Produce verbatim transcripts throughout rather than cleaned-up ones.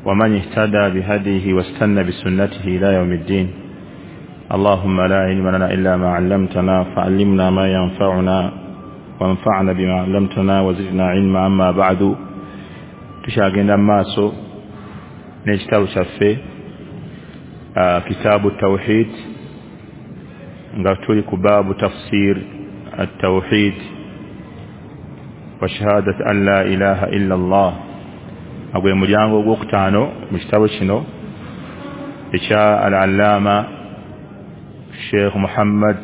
ومن اهتدى بهديه واستنى بسنته إلى يوم الدين. اللهم لا علم لنا إلا ما علمتنا فعلمنا ما ينفعنا وانفعنا بما علمتنا وزدنا علما. أما بعد، tukyagenda mu maaso n'ekitabo kyaffe kitaabu tawhid, nga tuli ku baabu tafsir at-tawhid wa shahadat an la ilaha illa Allah. Agwe mulyango ogwokutaano mu kitabo kino ekya al-allama Sheikh Muhammad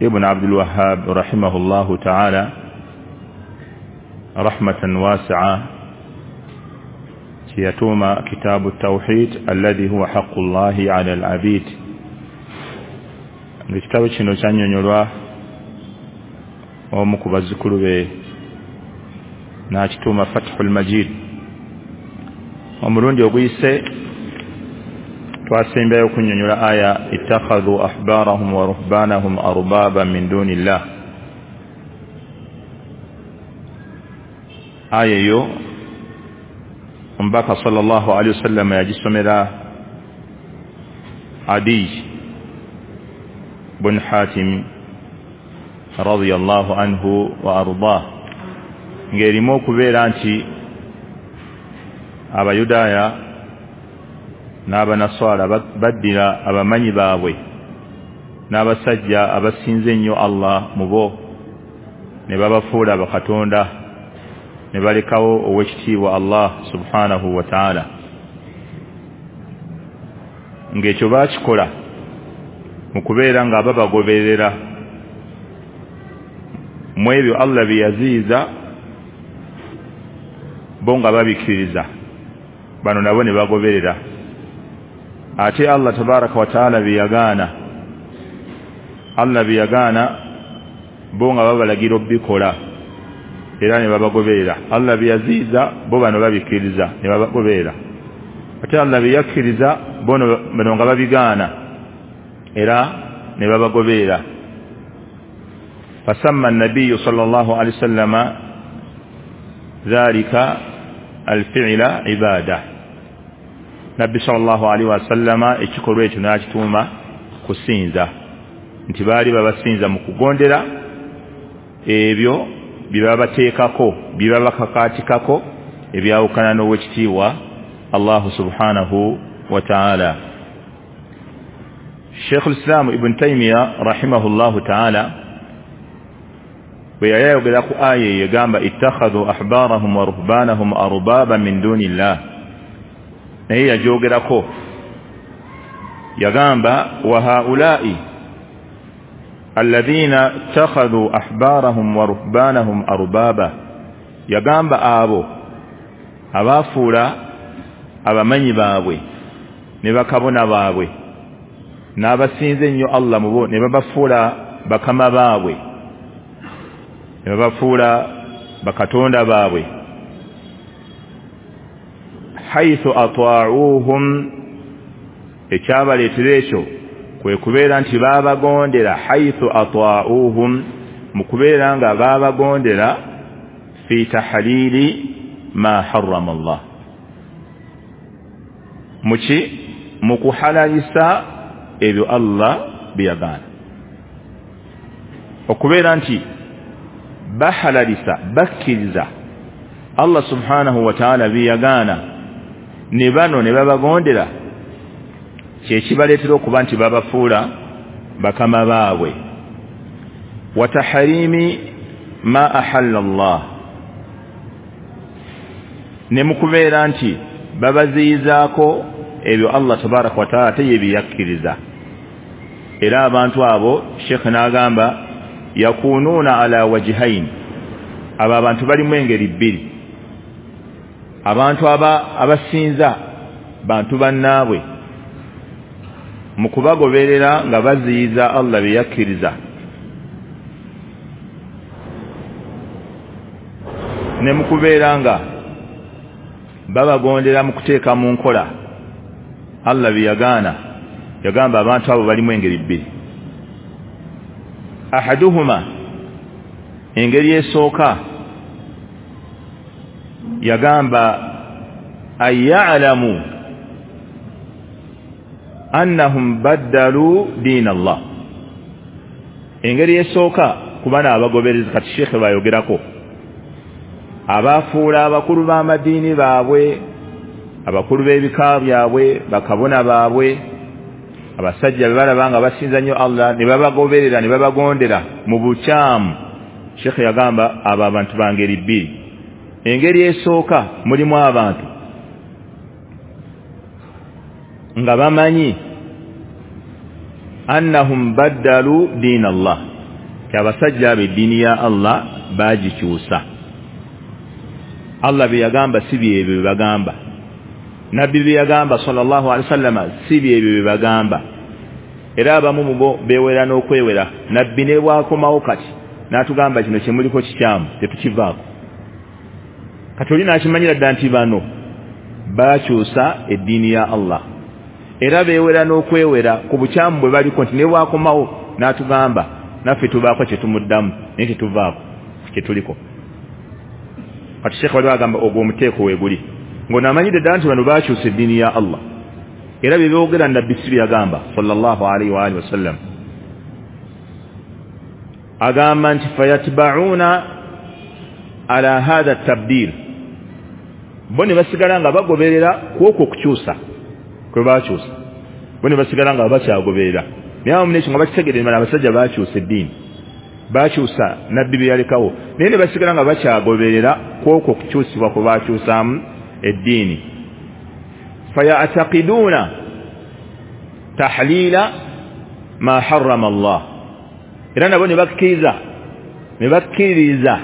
ibn Abdul Wahhab rahimahullahu ta'ala rahmatan wasi'a, kiyatuma kitabu tawhid alladhi huwa haqqullahi ala al-abid. Ekitabo kino kyannyonnyolwa omu ku bazzukulu be n'akituuma Fathul Majid. Omulundi oguyise twasembyayo okunnyonnyola aya ittakhadhu ahbarahum wa ruhbanahum arbaba min dunillah. Aya eyo omubaka sallallahu alaihi wasallam yagisomera Adi bun Hatim radiyallahu anhu wa ardah, ng'erimu okubeera nti Abayudaaya n'Abanaswara baddira abamanyi baabwe n'abasajja abasinze ennyo Allah mu bo ne babafuula bakatonda ne balekawo ow'ekitiibwa Allah subhanahu wa ta'ala. Ng'ekyo baakikola mu kubeera nga babagoberera mu ebyo Allah bye yaziyiza, bo nga babikkiriza, bano nabo ne bagoberera. Ate Allah tabaraka wa ta'ala bye yagaana, Allah bye yagaana bo nga babalagira obbikola era ne babagoberera. Allah bye yaziyiza bo bano babikkiriza ne babagoberera, ate Allah bye yakkiriza bo bano nga babigaana era ne babagoberera. Fasamma an-nabiyyu sallallahu alayhi wasallama dhalika al-fi'la ibada. Nabbi sallallahu alayhi wasallama ekikolwa ekyo n'akituuma kusinza, nti baali babasinza mu kugondera ebyo bye babateekako, bye babakakaatikako ebyawukana n'owekitiibwa Allahu subhanahu wa ta'ala. Sheikh al-Islam Ibn Taymiyyah rahimahullahu ta'ala bwe yali ayogera ku aya eyo egamba ittakhadhu ahbarahum wa ruhbanahum arbaba min dunillah, naye yagyogerako yagamba wa haulai alladhina ittakhadhu ahbarahum wa ruhbanahum arbaba, yagamba abo abafuula abamanyi baabwe ne bakabona baabwe n'abasinze ennyo Allah mu bo ne babafuula bakama baabwe ne babafuula bakatonda baabwe. Haythu ata'uuhum, ekyabaleetera ekyo kwe kubeera nti baabagondera. Haythu ata'uuhum, mu kubeera nga baabagondera fi tahlili ma harrama Allah, muki mu kuhalalisa ebyo Allah bye yagaana. Okubeera nti bahalalisa, bakkiriza Allah subhanahu wa ta'ala bye yagaana ne bano ne babagondera, kye kibaleetera okuba nti babafuula bakama baabwe. Wa tahrimi ma ahalla Allah, ne mu kubeera nti babaziyizaako ebyo Allah tabaraka wa ta'ala teye byakkiriza. Era abantu abo Sheikh n'agamba yakununa ala wajhain, abo abantu balimu engeri bbiri. Abantu aba abasinza bantu bannaabwe mu kubagoberera nga baziyiza Allah bye yakkiriza, ne mu kubeera nga babagondera mu kuteeka mu nkola Allah bye yagaana. Yagamba abantu abo balimu engeri bbiri. Ahaduhuma, engeri esooka yagamba An ya'lamu annahum baddalu diina Allah. Engeri esooka ku bano abagoberezi kati sheekhe bayogerako, abafuula abakulu b'amadiini baabwe, abakulu b'ebika byabwe, bakabona baabwe, abasajja be balaba nga basinza nnyo Allah ne babagoberera ne babagondera mu bukyamu. Sheekhe yagamba abo abantu ba ngeri bbiri. Engeri esooka mulimu abantu nga bamanyi annahum baddalu diina Allah, abasajja abo eddiini ya Allah baagikyusa. Allah bye yagamba si byebyo bye bagamba, nabbi bye yagamba sallallahu alaihi wasallama si byebyo bye bagamba. Era abamu mu bo beewera n'okwewera. Nabbi ne bw'akomawo kati n'atugamba kino kye muliko kikyamu, tetukivaako. Kati oli n'akimanyira ddala nti bano baakyusa eddiini ya Allah, era beewera n'okwewera ku bukyamu bwe baliko, nti ne bw'akomawo n'atugamba naffe tubaako kye tumuddamu naye tetuvaako kye tuliko. Kati sheekhe waliwo agamba ogwo omuteeko weeguli, ng'onaamanyidde ddala nti bano baakyusa eddiini ya Allah, era bye boogera nabbi si bye yagamba sallallahu alaihi wa alihi wasallam. Agamba nti fayatba'una ala hadha tabdil, bo ne basigala nga bagoberera ku okwo okukyusa kwe baakyusa, bo ne basigala nga bakyagoberera. Naye awamu n'ekyo nga bakitegeera nti abasajja baakyusa eddiini, baakyusa nabbi bye yalekawo, naye ne basigala nga bakyagoberera ku okwo okukyusibwa kwe baakyusaamu eddiini. Faya'taqiduuna tahlila ma harrama Allah, era nabo ne bakkiriza ne bakkiririza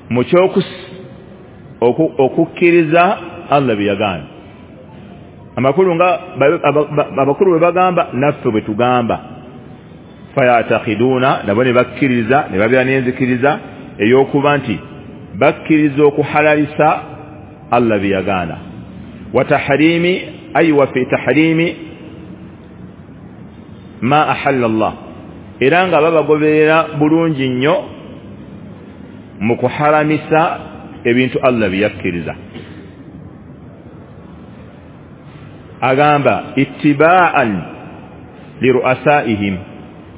mu okukkiriza Allah bye yagaana. Amakulu nga abakulu bwe bagamba naffe bwe tugamba. Faya'taqiduuna, nabo ne bakkiriza ne babeera n'enzikiriza ey'okuba nti bakkiriza okuhalalisa Allah bye yagaana. Wa tahrimi ay wa fi tahrimi ma ahalla Allah, era nga babagoberera bulungi nnyo mu kuharamisa ebintu Allah bye yakkiriza. Agamba ittiba'an li ru'asaihim,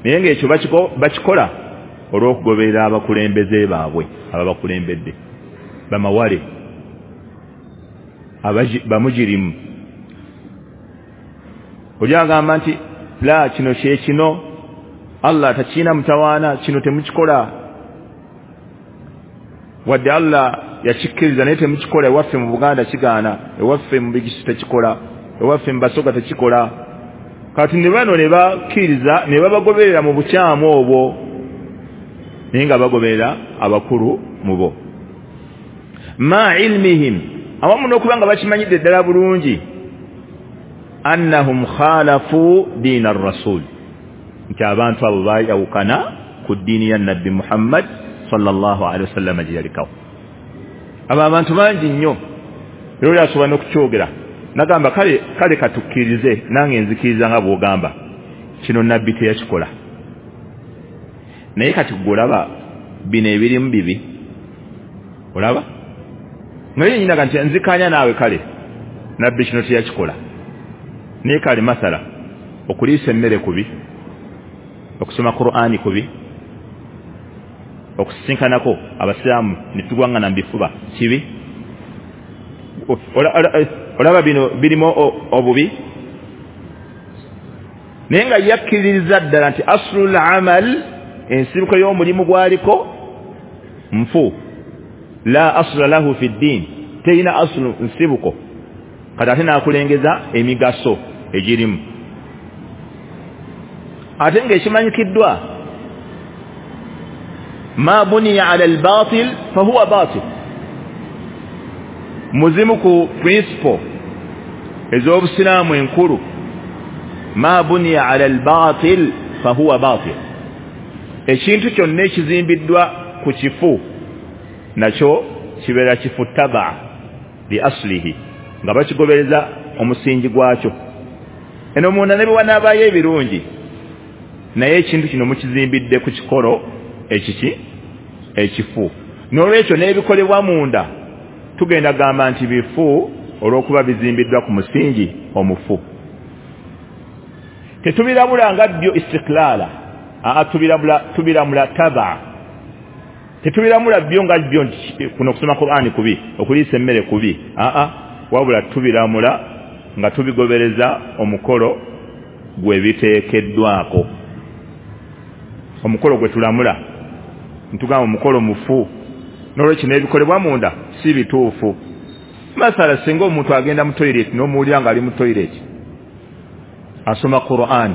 naye ng'ekyo bakikola olw'okugoberera abakulembeze baabwe ababakulembedde, bamawale bamujirimu. Oli agamba nti la, kino kye kino, Allah takiina mutawaana, kino temukikola, wadde Allah yakikkiriza naye temukikola. Ewaffe mu Buganda kigaana, ewaffe mu Bigisu tekikola, ewaffe mu Basoga tekikola. Kati ne bano ne bakkiriza ne babagoberera mu bukyamu obwo, naye nga bagoberera abakulu mu bo. Ma ilmihim, awamu n'okuba nga bakimanyidde ddala bulungi annahum khalafu diina ar-rasul, nti abantu abo baayawukana ku ddiini ya nabbi Muhammad sallallahu alaihi wasallam gye yalekawo. Abo abantu bangi nnyo, era oli asobola n'okukyogera nagamba kale kale katukkirize, nange nzikiriza nga bw'ogamba kino nabbi teyakikola, naye kati gwe olaba bino ebirimu bibi, olaba naye nyina nti nzikanya naawe, kale nabbi kino teyakikola, naye kale masala okuliisa emmere kubi, okusoma Qur'ani kubi, okusisinkanako abasiraamu ne tugwangana mu bifuba kibi. Olaba bino birimu obubi, naye nga yakkiririza ddala nti aslul amal, ensibuko y'omulimu gwaliko nfu, la asla lahu fi ddin, terina aslu nsibuko. Kati ate n'akulengeza emigaso egirimu, ate ng'ekimanyikiddwa ma buniya ala albatil fahuwa batil. Muzimu ku principle ez'obusiraamu enkulu, ma buniya ala albatil fahuwa batil, ekintu kyonna ekizimbiddwa ku kifu nakyo kibeera kifu taba li aslihi, nga bakigobereza omusingi gwakyo. Eno munda ne bwe wanaabaayo ebirungi, naye ekintu kino mukizimbidde ku kikolo ekiki ekifu. N'olwekyo n'ebikolebwa munda tugenda gamba nti bifu, Olw'okuba bizimbiddwa ku musingi omufu. Tetubiramula nga byo istiklaala, aa tubiramula tubiramula taba. Tetubiramula byo nga byo nti kuno okusoma Qur'ani kubi, okuliisa emmere kubi, aa wabula tubiramula nga tubigobereza omukolo gwe biteekeddwako. Omukolo gwe tulamula ntugamba omukolo mufu, n'olwekyo n'ebikolebwa munda si bituufu. Masala singa omuntu agenda mu toilet n'omuwulira ng'ali mu toilet asoma Qur'an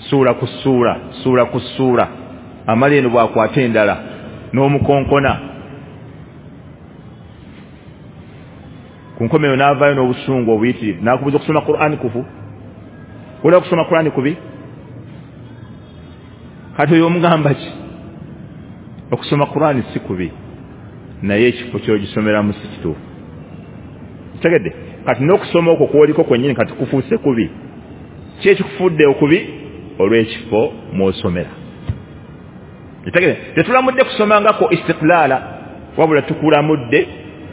ssuula ku ssuula ssuula ku ssuula, amala eno bw'akwata endala n'omukonkona, ku nkomeyo n'avaayo n'obusungu obuyitirivu n'akubuuza okusoma Qur'an kufu, olaba okusoma Qur'an kubi? Kati oyo omugamba ki? Okusoma Qur'an si kubi, naye ekifo ky'ogisomeramu si kituufu. Kitegedde? Kati n'okusoma okwo kw'oliko kwennyini kati kufuuse kubi. Ki ekikufudde okubi? Olw'ekifo mw'osomera. Kitegedde? Tetulamudde kusomangako istiklaala, wabula tukulamudde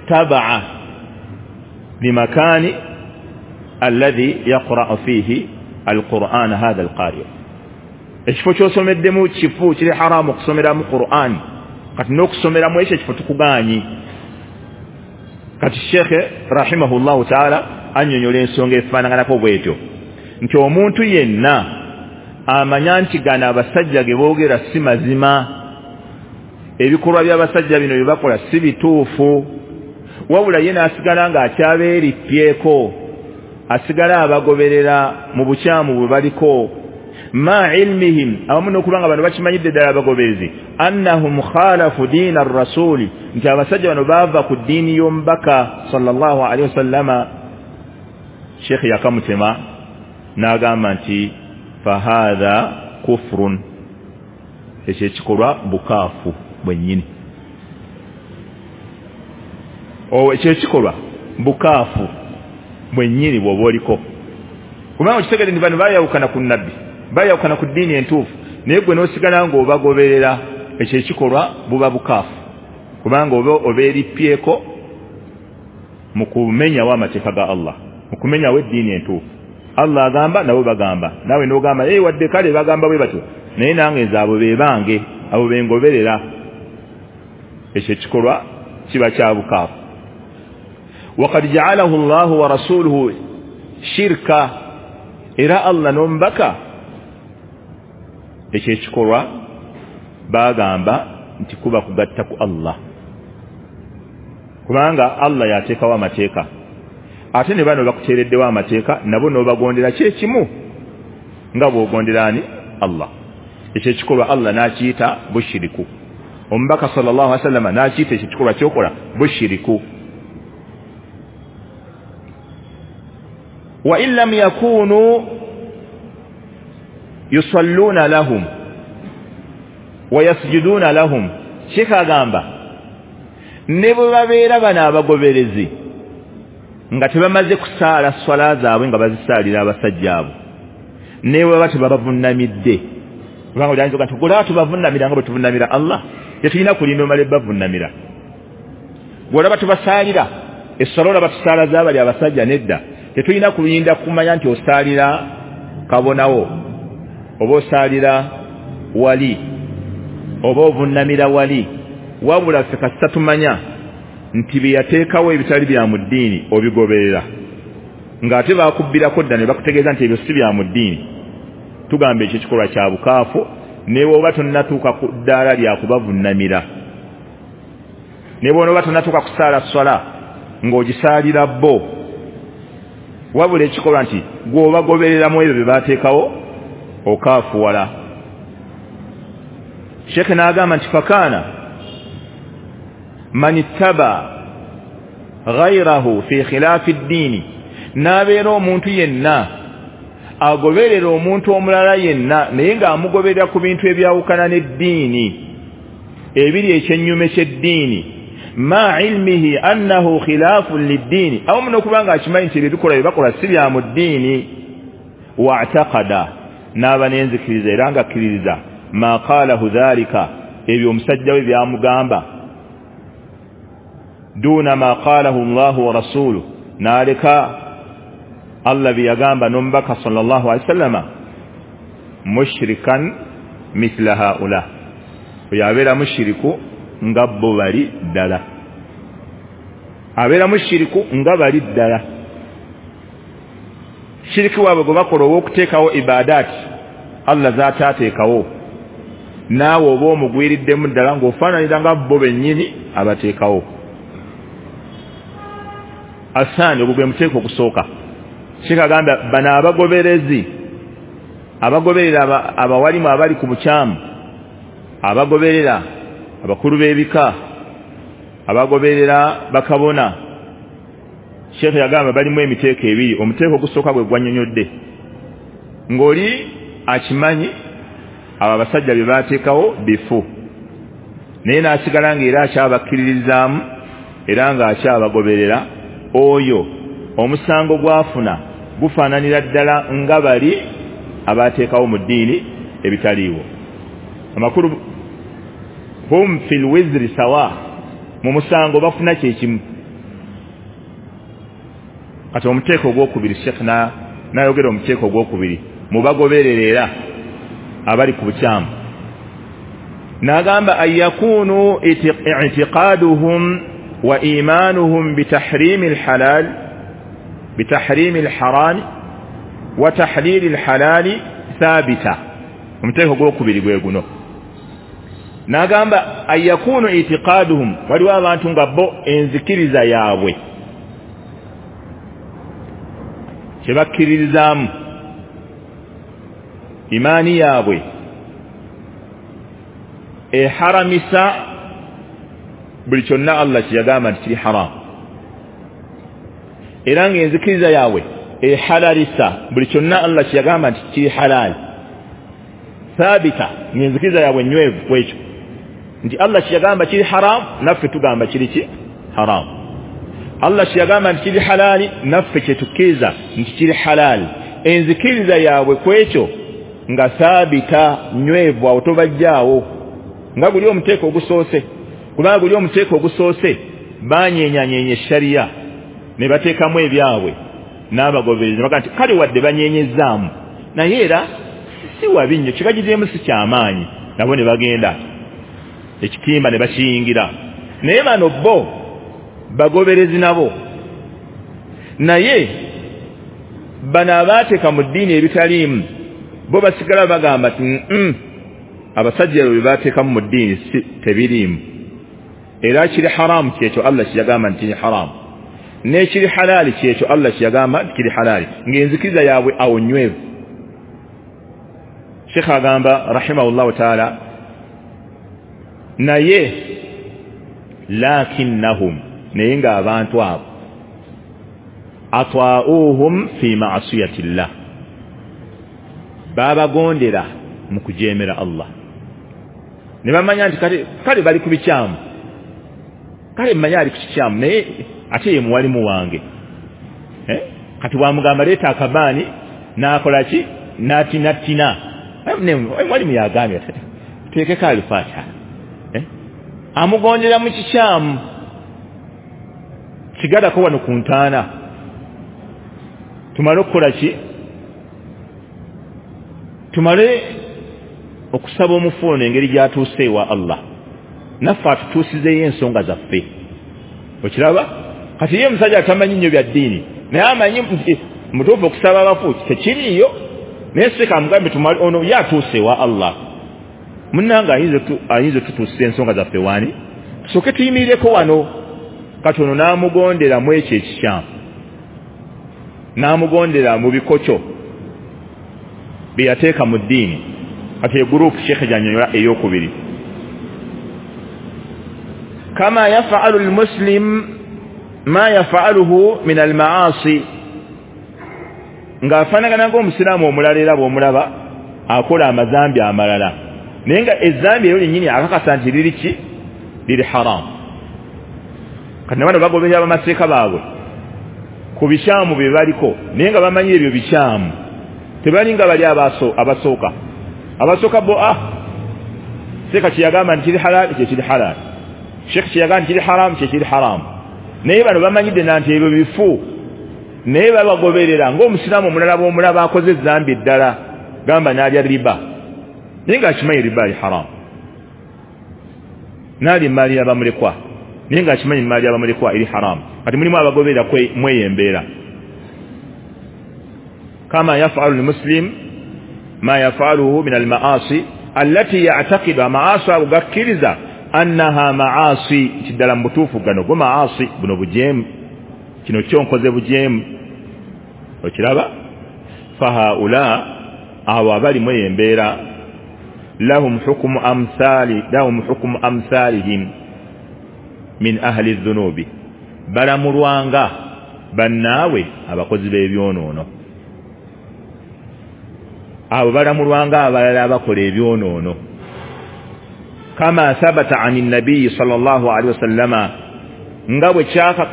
tabaa limakani alladhi yaqra'u fihi alquran hadha alqari. Ekifo ky'osomeddemu kifu kiri haramu okusomeramu Qur'an, kati n'okusomeramu ekyo ekifo tukugaanyi. Kati Sheikh rahimahullahu ta'ala annyonnyola ensonga efaanaganako bw'etyo nti omuntu yenna amanya nti gano abasajja ge boogera si mazima, ebikolwa by'abasajja bino bye bakola si bituufu, wabula ye n'asigala ng'akyabeerippyeko, asigala abagoberera mu bukyamu bwe baliko, ma ilmihim, awamu n'okuba nga bano bakimanyidde ddala abagoberezi, annahum khalafu diina arrasuli, nti abasajja bano baava ku ddiini y'omubaka sallallahu alaihi wasallama. Sheikh yakamutema n'agamba nti fahadha kufrun, ekyo ekikolwa bukaafu bwennyini. Ekyo ekikolwa bukaafu bwennyini bw'oba oliko, kubanga okitegedde nti bano baayawukana ku nabbi, bayawukana ku ddiini entuufu, naye gwe n'osigala ng'obagoberera, ekyo ekikolwa buba bukaafu, kubanga oba obeerippyeko mu kumenyawo amateeka ga Allah, mu kumenyawo eddiini entuufu. Allah agamba nabo bagamba, naawe n'ogamba ee wadde kale bagamba bwe batyo, naye nange nze abo be bange, abo be ngoberera. Ekyo ekikolwa kiba kya bukaafu. Waqad ja'alahu Allahu wa rasuluhu shirka, era Allah n'omubaka ekyo ekikolwa bagamba nti kuba kugatta ku Allah, kubanga Allah yateekawo amateeka, ate ne bano bakuteereddewo amateeka, nabo n'obagondera kyekimu nga bw'ogondera ani? Allah. Ekyo ekikolwa Allah n'akiyita bushiriku, omubaka sallallahu alaihi wasallam n'akiyita ekyo ekikolwa ky'okola bushiriku. Wa in lam yakunu yusalluna lahum wa yasjuduna lahum, Sheikh agamba ne bwe babeera bano abagoberezi nga tebamaze kusaala swala zaabwe nga bazisaalira abasajja abo, ne bwe baba tebabavunnamidde, kubanga oyinza nti gwe tubavunnamira nga bwe tuvunnamira Allah, tetulina kulinda omale bavunnamira. Gwe olaba tubasaalira esswala, olaba tusaala z'abali abasajja, nedda, tetulina kulinda kumanya nti osaalira kabonawo oba osaalira wali oba ovunnamira wali, wabula ffe kasita tumanya nti bye yateekawo ebitali bya mu ddiini obigoberera, ng'ate baakubbirako dda ne bakutegeeza nti ebyo si bya mu ddiini, tugamba ekyo ekikolwa kya bukaafu, ne bw'oba tonnatuuka ku ddaala lya kubavunnamira, ne bw'onooba tonnatuuka kusaala swala ng'ogisaalira bo, wabula ekikolwa nti gw'obagobereramu ebyo bye baateekawo okaafuwala. Sheikh n'agamba nti fakana man ittaba ghayrahu fi khilafi ddiini, n'abeera omuntu yenna agoberera omuntu omulala yenna naye ng'amugoberera ku bintu ebyawukana n'eddiini, ebiri ekyennyume ky'eddiini, ma ilmihi annahu khilafun liddiini, awamu n'okuba ng'akimanyi nti ebyo bikola bye bakola si bya mu ddiini, wa'taqada, n'aba n'enzikiriza era ng'akkiririza ma qalahu dhalika, ebyo omusajja we byamugamba, duna ma qalahu Allahu wa rasuluhu, N'aleka Allah bye yagamba n'omubaka sallallahu alaihi wasallama, mushrikan mithla haula, oyo abeera mushiriku nga bo bali ddala, abeera mushiriku nga bali ddala. Shiriki waabwe gwe bakola ow'okuteekawo ibadaati Allah z'ataateekawo, naawe oba omugwiriddemu ddala ng'ofaananira nga bo bennyini abateekawo. Asaani ogwo gwe muteeko ogusooka. Sheikh agamba bano abagoberezi abagoberera abawalimu abali ku bukyamu, abagoberera abakulu b'ebika, abagoberera bakabona, Sheikh yagamba balimu emiteeko ebiri. Omuteeko ogusooka gwe gwannyonnyodde ng'oli akimanyi abo abasajja bye baateekawo bifu, naye n'asigala ng'era akyabakkiririzaamu era ng'akyabagoberera, oyo omusango gwafuna gufaananira ddala nga bali abateekawo mu ddiini ebitaliiwo. Amakulu hum fil wizri sawa, mu musango bafuna kyekimu. Kati omuteeko ogwokubiri, Sheikh n'ayogera omuteeko ogwokubiri mubagoberera era abali ku bukyamu, n'agamba an yakunu i'tiqaduhum wa imanuhum bitahrimi alhalal bitahrimi alharam wa tahlili alhalali thabita. Omuteeko ogwokubiri gwe guno. N'agamba an yakunu i'tiqaduhum, waliwo abantu nga bo enzikiriza yaabwe kye bakkiririzaamu, imaani yaabwe eharamisa buli kyonna Allah kye yagamba nti kiri haramu, era ng'enzikiriza yaabwe ehalalisa buli kyonna Allah kye yagamba nti kiri halaali. Thabita, ng'enzikiriza yaabwe nywevu ku ekyo nti Allah kye yagamba kiri haramu naffe tugamba kiri ki haramu, Allah kye yagamba nti kiri halaali naffe kye tukkiriza nti kiri halaali. Enzikiriza yaabwe ku ekyo nga thabita, nywevu, awo tobajjaawo nga guli omuteeko ogusoose. Kubanga guli omuteeko ogusoose banyenyanyenye sharia ne bateekamu ebyabwe n'abagoberezi baga nti kale wadde banyenyezzaamu naye era si wabi nnyo, kibagizeemu si kyamaanyi, nabo ne bagenda ekitimba ne bakiyingira. Naye bano bo bagoberezi nabo, naye bano abaateeka mu ddiini ebitaliimu bo basigala bagamba nti mm, abasajja bwe baateekamu mu ddiini si tebiriimu, era kiri haramu kyekyo Allah kye yagamba nti kiri haramu, n'ekiri halaali kyekyo Allah kye yagamba nti kiri halaali, ng'enzikiriza yaabwe awo nywevu. Sheikh agamba rahimahullahu taala, naye lakinnahum, naye ng'abantu abo atwa'uhum fi ma'asiyatillah, babagondera mu kujeemera Allah. Ne bamanya nti kale kale bali ku bikyamu, kale mmanya ali ku kikyamu, naye ate ye muwalimu wange, eh? Kati bwamugamba leeta akabaani n'akola ki? N'atinatina. Mwalimu yagambye tuteekeko Alifatiha, eh? Amugondera mu kikyamu, kigalako wano ku ntaana tumale okukola ki? Tumale okusaba omufu ono engeri gy'atuuse ewa Allah, naffe atutuusizeeyo ensonga zaffe. Okiraba? Kati ye omusajja atamanyi nnyo bya ddiini, naye amanyi nti mutuufu okusaba abafu tekiriiyo, naye seka amugambe tumale ono ye atuuse ewa Allah, munnange ayinza otutuusiza ensonga zaffe waani, tusooke tuyimirireko wano. Kati ono n'amugondera mu ekyo ekikyamu, n'amugondera mu bikokyo bye yateeka mu ddiini. Kati egurupu Sheikh gy'annyonnyola ey'okubiri, kama yaf'alu al-muslim ma yaf'aluhu min al-ma'asi, ng'afaanagana ng'omusiraamu omulala era bw'omulaba akola amazambi amalala, naye nga ezambi eryo lyennyini akakasa nti liri ki? Liri haramu. Kati nabano bagoberera abamaseeka baabwe ku bikyamu bye baliko, naye nga bamanyi ebyo bikyamu, tebalinga bali abasooka. Abasooka bo ah, seeka kye yagamba nti kiri halaali kye kiri halaali, Sheikh kye yagamba nti kiri haramu kye kiri haramu, naye bano bamanyidde na nti ebyo bifu, Naye babagoberera ng'omusiraamu omulala bw'omulaba akoze ezambi ddala, gamba n'alya riba, naye ng'akimanyi riba ali haramu, n'alya emaali y'abamulekwa, naye ng'akimanyi emaali y'abamulekwa eri haramu. Kati mulimu abagoberera mweyo embeera. Kama yafalu lmuslim ma yafaluhu min almaasi allati ya'taqidu, amaasi ago gakkiriza annaha maasi, nti ddala mu butuufu gano go maasi, buno bujeemu, kino kyonkoze bujeemu. Okiraba? Fahaula, abo abali mweyo embeera, lahum hukumu amthali lahum hukumu amthalihim min ahli dhunubi, balamulwanga bannaabwe abakozi b'ebyonoono. Abo balamulwanga abalala abakola ebyonoono. Kama thabata ani nabiyyi sallallahu alaihi wasallama, nga bwe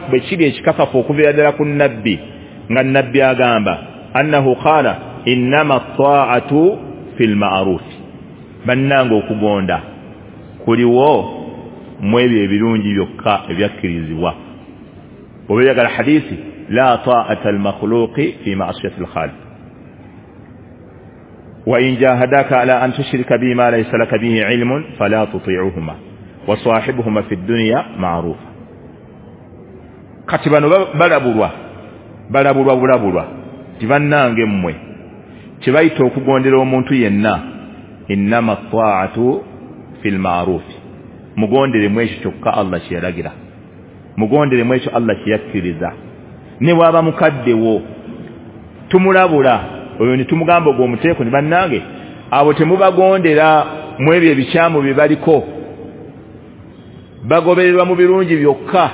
bwe kiri ekikakafu okuviira ddala ku nabbi, nga nabbi agamba annahu qala innama ta'atu fil ma'ruf, bannange okugonda kuliwo mu ebyo ebirungi byokka ebyakkirizibwa. Oba oyagala hadisi, la ta'ata al-makhluqi fi ma'siyati al-khaliq wa in jahadaka ala an tushrika bima laysa laka bihi ilmun fala tuti'uhuma wa sahibuhuma fi dunya ma'rufa. Kati bano balabulwa balabulwa bulabulwa nti bannange mmwe kye bayita okugondera omuntu yenna, innama ta'atu fil ma'ruf, mugondere mu ekyo kyokka Allah kye yalagira, mugondere mu ekyo Allah kye yakkiriza. Ne bw'aba mukaddewo tumulabula oyo ne tumugamba ogwo omuteeko ne bannange abo temubagondera mu ebyo ebikyamu bye baliko, bagobererwa mu birungi byokka,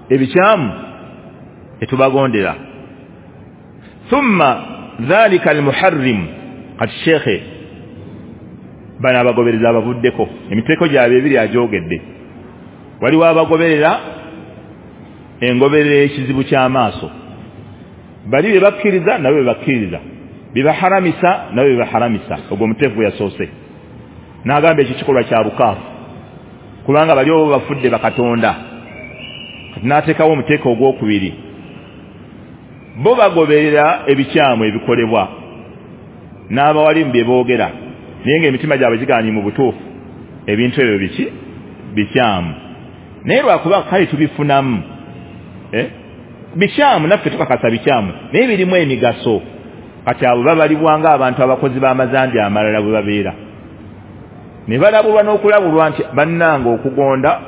ebikyamu tetubagondera. Thumma dhalika almuharrim, kati shekhe bano abagobereza abavuddeko emiteeko gyabwe ebiri agyogedde. Waliwo abagoberera engoberera ekizibu ky'amaaso, bali bye bakkiriza nabo bye bakkiriza, bye baharamisa nabo bye baharamisa. Ogwo omuteeko gwe yasoose n'agamba ekyo kikolwa kya bukaafu, kubanga bali obo bafudde bakatonda. Kati n'ateekawo omuteeko ogwokubiri, bo bagoberera ebikyamu ebikolebwa n'abawali mu bye boogera, naye ng'emitima gyabwe gigaanye mu butuufu ebintu ebyo biki bikyamu, naye lwakuba kale tubifunamu eh? Bikyamu naffe tukakasa bikyamu, naye birimu emigaso. Kati abo babalibwa ng'abantu abakozi b'amazambi amalala bwe babeera, ne balabulwa n'okulabulwa nti bannange okugonda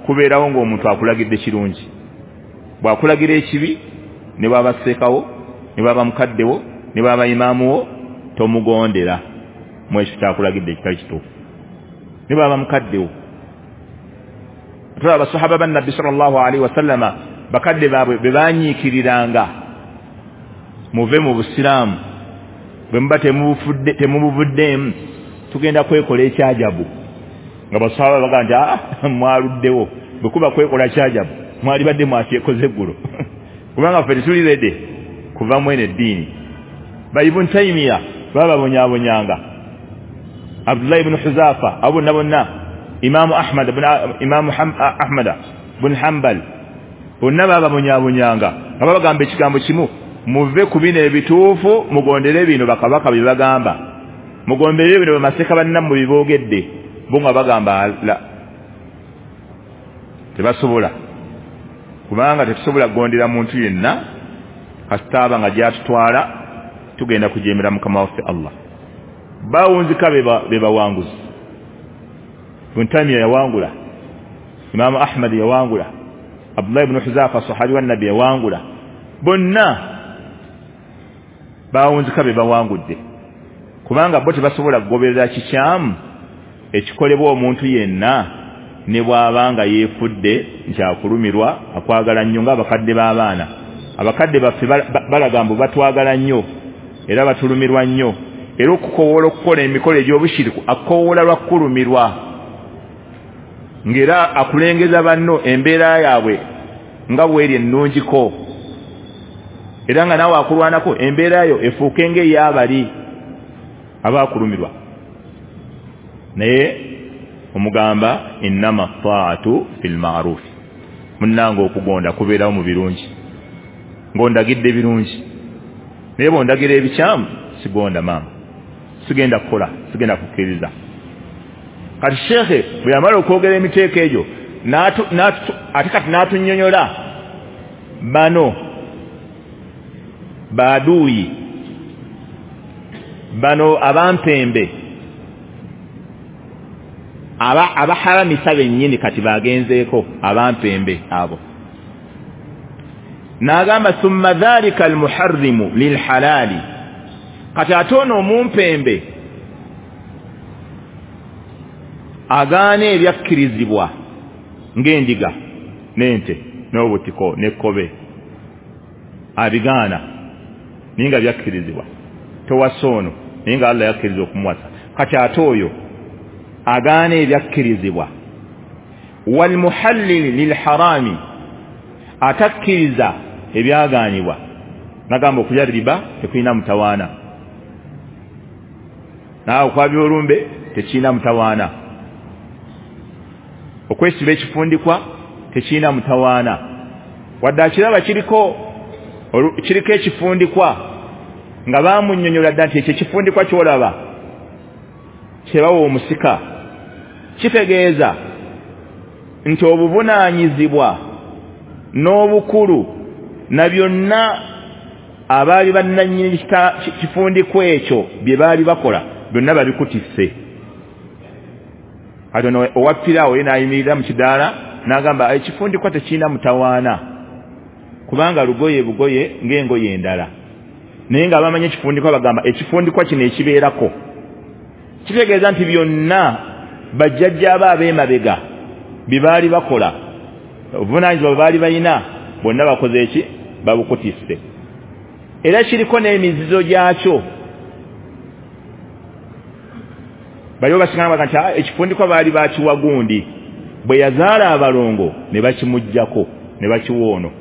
kubeerawo ng'omuntu akulagidde kirungi, bw'akulagira ekibi ne bw'aba sseekawo ne bw'aba mukaddewo ne bw'aba imaamuwo tomugondera mu ekyo kyakulagidde ekitali kituufu, ne bw'aba mukaddewo. Tulaba abasahaba ba Nabbi sallallahu alaihi wasallama bakadde baabwe be baanyiikiriranga, muve mu busiraamu, bwe muba temubufudde temubuvuddeemu tugenda kwekola ekyajabu. Nga basahaba bagamba nti aa mwaluddewo, bwe kuba kwekola kyajabu mwalibadde mwakyekoze eggulo kubanga ffe tetuli rede kuva mu eno eddiini. Ba Ibn Taymiya bababonyaabonyanga, Abdullah ibn Huzafa, abo bonna bonna, Imamu Ahmad Imamu Ahmad ibn Hanbal, bonna bababonyaabonyanga nga babagamba ekigambo kimu, muve ku bino ebituufu mugondere bino bakabaka bye bagamba, mugondere bino bamaseeka bannammwe bye boogedde. Bo nga bagamba la, tebasobola, kubanga tetusobola kugondera muntu yenna kasita aba nga gy'atutwala tugenda kujeemera Mukama waffe Allah. Bawunzika be bawanguzi. Ibn Taymiya yawangula, Imamu Ahmad yawangula, Abdullah ibn Huzafa sahabi wa Nabbi yawangula, bonna bawunzika be bawangudde, kubanga bo tebasobola kugoberera kikyamu ekikolebwa omuntu yenna ne bw'aba nga yeefudde nti akulumirwa akwagala nnyo ng'abakadde b'abaana. Abakadde baffe balaga mbu batwagala nnyo era batulumirwa nnyo, era okukowoola okukola emikolo egy'obushiriku akukowoola lwa kukulumirwa, ng'era akulengeza banno embeera yaabwe nga bw'eri ennungiko, era nga naawe akulwanako embeera yo efuuke ng'ey'abali abakulumirwa. Naye omugamba innama ta'atu fil ma'ruf, munnange okugonda kubeerawo mu birungi. Ng'ondagidde birungi, naye bw'ondagira ebikyamu sigonda maama, sigenda kukola, sigenda kukkiriza. Kati shekhe bwe yamala okwogera emiteeko egyo ate kati n'atunnyonnyola bano baduuyi, bano abampembe aba abaharamisa bennyini kati bagenzeeko abampembe abo. N'agamba thumma dhalika almuharrimu lilhalali, kati ate ono omumpembe agaana ebyakkirizibwa ng'endiga n'ente n'obutiko n'ekkobe, abigaana naye nga byakkirizibwa, towasa ono naye nga Allah yakkiriza okumuwasa. Kati ate oyo agaana ebyakkirizibwa. Walmuhallili lilharami, atakkiriza ebyagaanibwa, nagamba okulya riba tekulina mutawaana, naawe okwabya olumbe tekirina mutawaana, okwesiba ekifundikwa tekirina mutawaana, wadde akiraba kiriko kiriko ekifundikwa nga bamunnyonnyola dda nti ekyo ekifundikwa ky'olaba kyebawa omusika kitegeeza nti obuvunaanyizibwa n'obukulu na byonna abaali bannannyini kifundikwa ekyo bye baali bakola byonna babikutisse. Kati ono owa piraawo ye n'ayimirira mu kidaala n'agamba ekifundikwa tekirina mutawaana kubanga lugoye bugoye ng'engoye endala, naye nga abamanyi ekifundikwa bagamba ekifundikwa kino ekibeerako kitegeeza nti byonna bajjajja abo ab'emabega bye baali bakola, obuvunaanyizibwa bwe baali balina bonna bakoze eki babukutisse. Era kiriko n'emizizo gyakyo. Baliwo basigala baga nti ekifundikwa baali bakiwa gundi, bwe yazaala abalongo ne bakimuggyako ne bakiwa ono.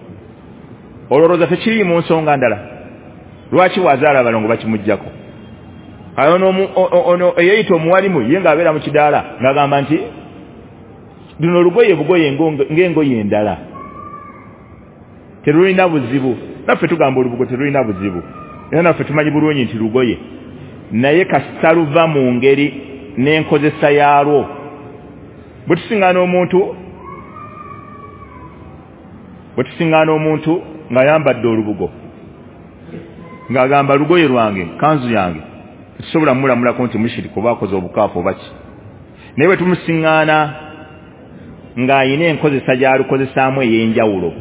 Olowooza tekiri mu nsonga ndala, lwaki bw'azaala abalongo bakimuggyako? Ono ono eyeeyita omuwalimu ye ng'abeera mu kidaala ng'agamba nti luno lugoye bugoye ng'engoye endala, terulina buzibu. Naffe tugamba olubugo terulina buzibu, era naffe tumanyi bulungi nti lugoye, naye kasita luva mu ngeri n'enkozesa yaalwo. Bwe tusiŋŋaana omuntu bwe tusiŋŋaana omuntu ng'ayambadde olubugo ng'agamba lugoye lwange, kanzu yange, tetusobola mmulamulako nti mushiriki oba akoze obukaafu oba ki, naye bwe tumusiŋŋaana ng'ayina enkozesa gy'alukozesaamu ey'enjawulo,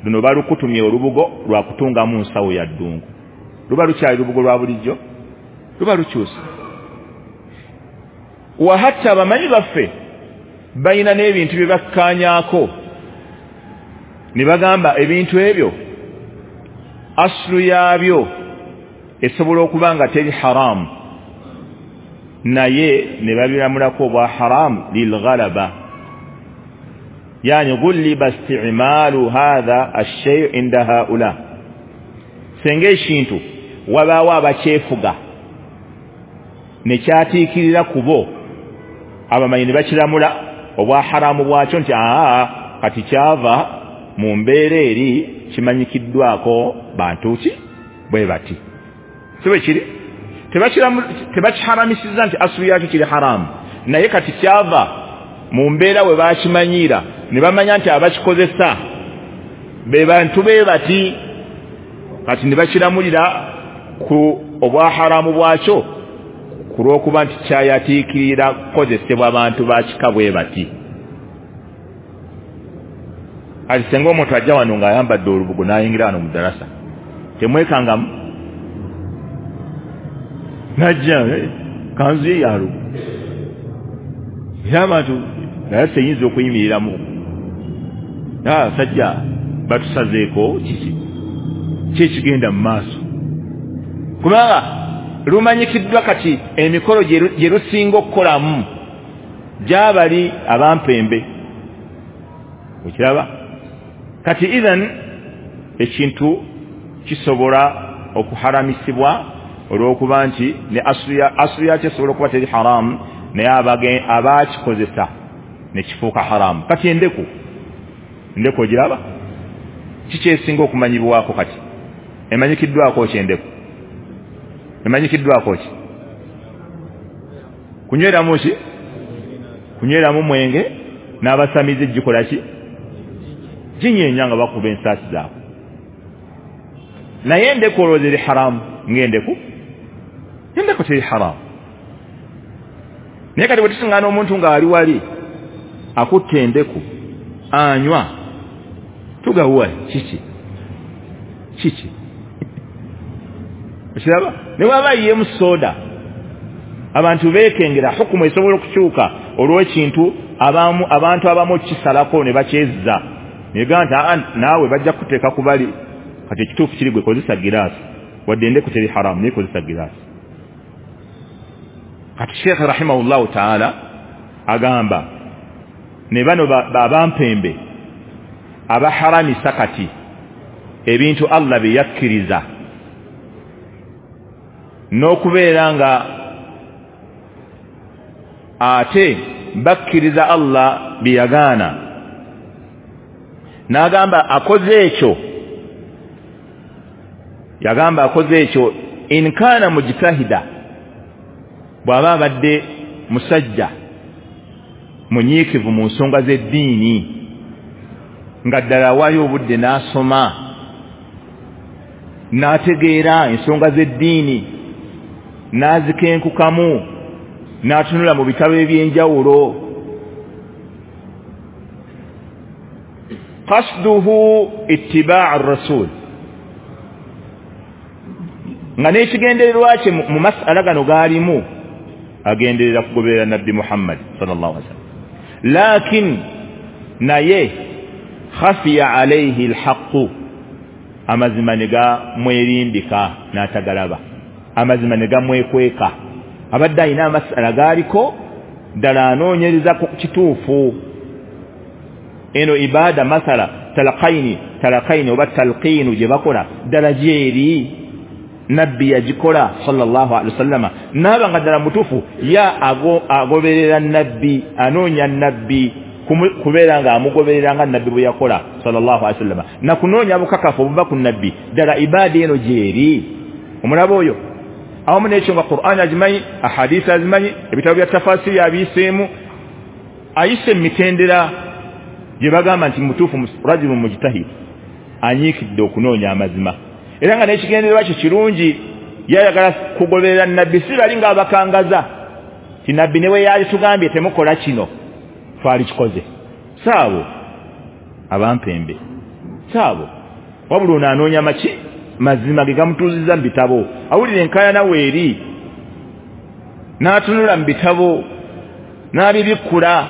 luno balukutumye olubugo lwa kutungamu nsawo ya ddungu, luba lukyali lubugo lwa bulijjo, luba lukyusa. Wahatta abamanyi baffe balina n'ebintu bye bakkaanyaako ne bagamba ebintu ebyo aslu yaabyo esobola okuba nga teri haramu, naye ne babiramulako obwa haramu lilghalaba, yani ghuliba isti'malu hadha ash-shay' inda haula. Senga ekintu wabaawo abakyefuga ne kyatiikirira ku bo, abamanyi ne bakiramula obwa haramu bwakyo nti aa kati kyava mu mbeera eri kimanyikiddwako bantu ki bwe bati, si bwe kiri? Tebakiharamisiza nti asulu yakyo kiri haramu, naye kati kyava mu mbeera we bakimanyiira ne bamanya nti abakikozesa be bantu be bati, kati ne bakiramulira ku obwa haramu bwakyo ku lw'okuba nti kyayatiikirira kukozesebwa abantu ba kika bwe bati. Kati singa omuntu ajja wano ng'ayambadde olubugo n'ayingira wano mu ddalasa, temwekangamu najja kanzu ye ya lubugo, era abantu darasa eyinza okuyimiriramu, abasajja batusazeeko kiki ki ekigenda mu maaso, kubanga lumanyikiddwa kati emikolo gye lusinga okukolamu gy'abali abampembe. Okiraba? Kati idhan ekintu kisobola okuharamisibwa olw'okuba nti ne asulu yakyo esobola okuba teri haramu, naye abakikozesa ne kifuuka haramu. Kati endeku, endeku ogiraba? Kikyesinga okumanyibwako kati? Emanyikiddwako ki endeku? Emanyikiddwako ki? Kunyweramu ki? Kunyweramu mwenge n'abasamize gikola ki? Ginyeenya nga bakuba ensaasi zaabwe. Naye endeku olowooza eri haramu ng'endeku? Endeku teri haramu. Naye kati bwe tusiŋŋaana omuntu ng'ali wali akutta endeku anywa, tugawa kiki? Kiki? Okiraba? Ne bw'aba ayiyeemu soda, abantu beekengera hukumu esobola okukyuka olw'ekintu abamu abantu abamu kisalako ne bakyezza. Ne gamba nti naawe bajja kuteeka ku bali. Kati ekituufu kiri gwe kozesa giraasi, wadde endeku teri haramu naye kozesa giraasi. Kati Sheikh rahimahullahu taala agamba ne bano abampembe abaharamisa kati ebintu Allah bye yakkiriza n'okubeera nga ate bakkiriza Allah bye yagaana. N'agamba akoze ekyo, yagamba akoze ekyo in kana mujtahida, bw'aba abadde musajja munyiikivu mu nsonga z'eddiini nga ddala awaayo obudde n'asoma n'ategeera ensonga z'eddiini n'azikenkukamu n'atunula mu bitabo eby'enjawulo. Qasduhu ittibaa ar-rasul, nga n'ekigendererwa kye mu mas'ala gano gaalimu agenderera kugoberera Nabbi Muhammad sallallahu alaihi wasallam. Lakin naye khafiya alayhi alhaqu, amazima ne gamwerimbika n'atagalaba, amazima ne gamwekweka. Abadde alina amasala gaaliko ddala anoonyereza ku kituufu. Eno ibada masala talaqaini talaqaini oba talqiinu gye bakola ddala gyeri Nabbi yagikola sallallahu alaihi wasallama, n'aba nga ddala mutuufu ya ago, agoberera Nabbi, anoonya Nabbi kubeera nga amugoberera nga Nabbi bwe yakola sallallahu alaihi wasallama, na kunoonya bukakafu obuva ku Nabbi ddala ibada eno gyeri. Omulaba oyo awamu n'ekyo nga Qur'an agimanyi, ahadisi azimanyi, ebitabo bya tafasiri abiyiseemu, ayise emitendera gye bagamba nti mutuufu rajulun mujtahid, anyiikidde okunoonya amazima. Era nga n'ekigendererwa kye kirungi, yayagala kugoberera Nabbi, si bali ng'abakangaza ti Nabbi ne bwe yali tugambye temukola kino twali kikoze. Saabo abampembe, saabo wabula ono anoonya maki mazima ge gamutuuziza mu bitabo, awulira enkaayana weeri n'atunula mu bitabo n'abibikkula.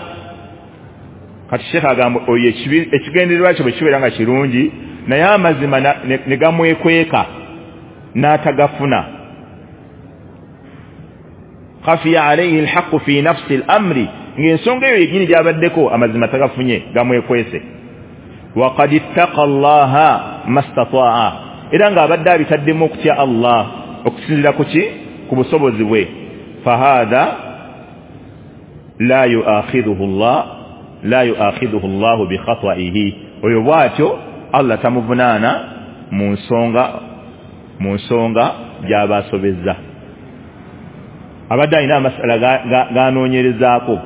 Kati Sheikh agamba oyo ekigendererwa kye bwe kibeera nga kirungi naye amazima ne gamwekweka n'atagafuna. Khafiya alayhi alhaqu fi nafsi al-amri, ng'ensonga eyo yennyini gy'abaddeko amazima tagafunye, gamwekwese. Wa qad ittaqa Allaha mastataa'a, era ng'abadde abitaddemu okutya Allah okusinziira ku ki? Ku busobozi bwe. Fahadha la yu'akhidhuhu Allah la yu'akhidhuhu Allahu bi khata'ihi, oyo bw'atyo Allah tamuvunaana mu nsonga mu nsonga gy'aba asobezza. Abadde alina amasala ganoonyerezaako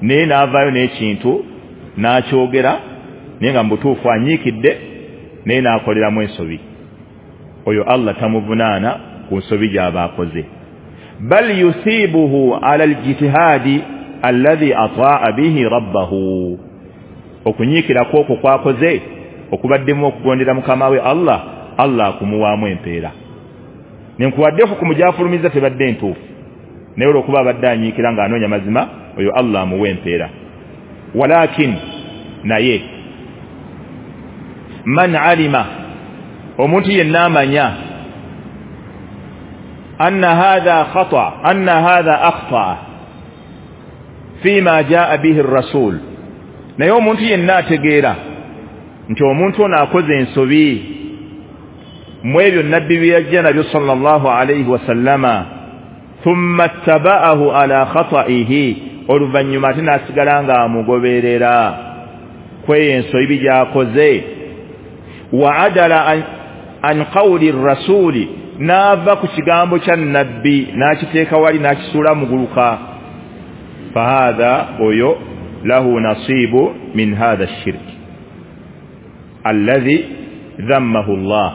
naye n'avaayo n'ekintu n'akyogera naye nga mu butuufu anyiikidde naye n'akoleramu ensobi, oyo Allah tamuvunaana ku nsobi gy'aba akoze. Bal yusibuhu ala aljitihadi alladhi ataa bihi rabbahu, okunyiikira kwokwo kwakoze okubaddemu okugondera mukama we Allah, Allah akumuwaamu empeera. Nenkuwadde hukumu gy'afulumiza tebadde ntuufu, naye olw'okuba abadde anyiikira ng'anoonya mazima, oyo Allah amuwa empeera. Walakin naye man alima, omuntu yenna amanya anna hadha khata anna hadha akhta fima jaa bihi ar-rasul, naye omuntu yenna ategeera nti omuntu ono akoze ensobi mu ebyo Nabbi bye yajja nabyo sallallahu alayhi wasallama, thumma ttaba'ahu ala khata'ihi, oluvannyuma ate n'asigala ng'amugoberera kweyo ensobi gy'akoze, Wa adala an, an qawli rasuli, n'ava ku kigambo kya nabbi n'akiteeka wali n'akisuula muguluka, fahadha oyo lahu nasibu min hadha shirk alladhi dhammahu Allah,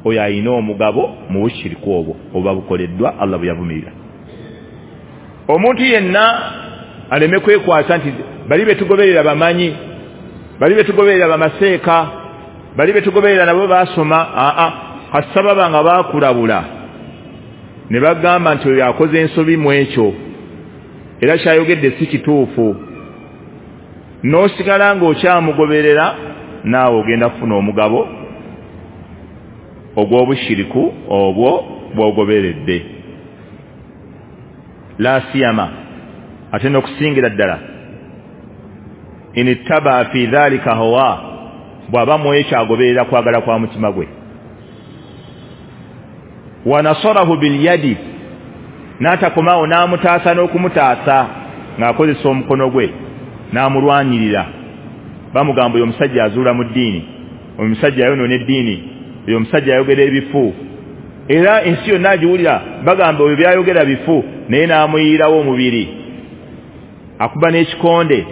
oyo ayina omugabo mu bushiriku obwo oba bukoleddwa Allah bwe yavumirira. Omuntu yenna aleme kwekwasa nti bali betugoberera bamanyi, bali betugoberera bamaseeka, bali betugoberera nabo basoma. Aa, kasababa nga bakulabula ne bagamba nti oyo akoze ensobi mu ekyo era kyayogedde si kituufu, n'osigala ng'okyamugoberera, naawe ogenda kufuna omugabo ogw'obushiriku obwo bw'ogoberedde. La siyama, ate n'okusingira ddala, in ittaba fi dhalika hawa, bw'aba mu ekyo agoberera kwagala kwa mutima gwe. Wa nasarahu bilyadi, n'atakomaawo n'amutaasa n'okumutaasa ng'akozesa omukono gwe n'amulwanirira. Bamugamba oyo omusajja azuula mu ddiini, oyo omusajja ayonoona eddiini, oyo omusajja ayogera ebifu, era ensi yonna agiwulira bagamba oyo byayogera bifu, naye n'amuyiirawo omubiri, akuba n'ekikonde,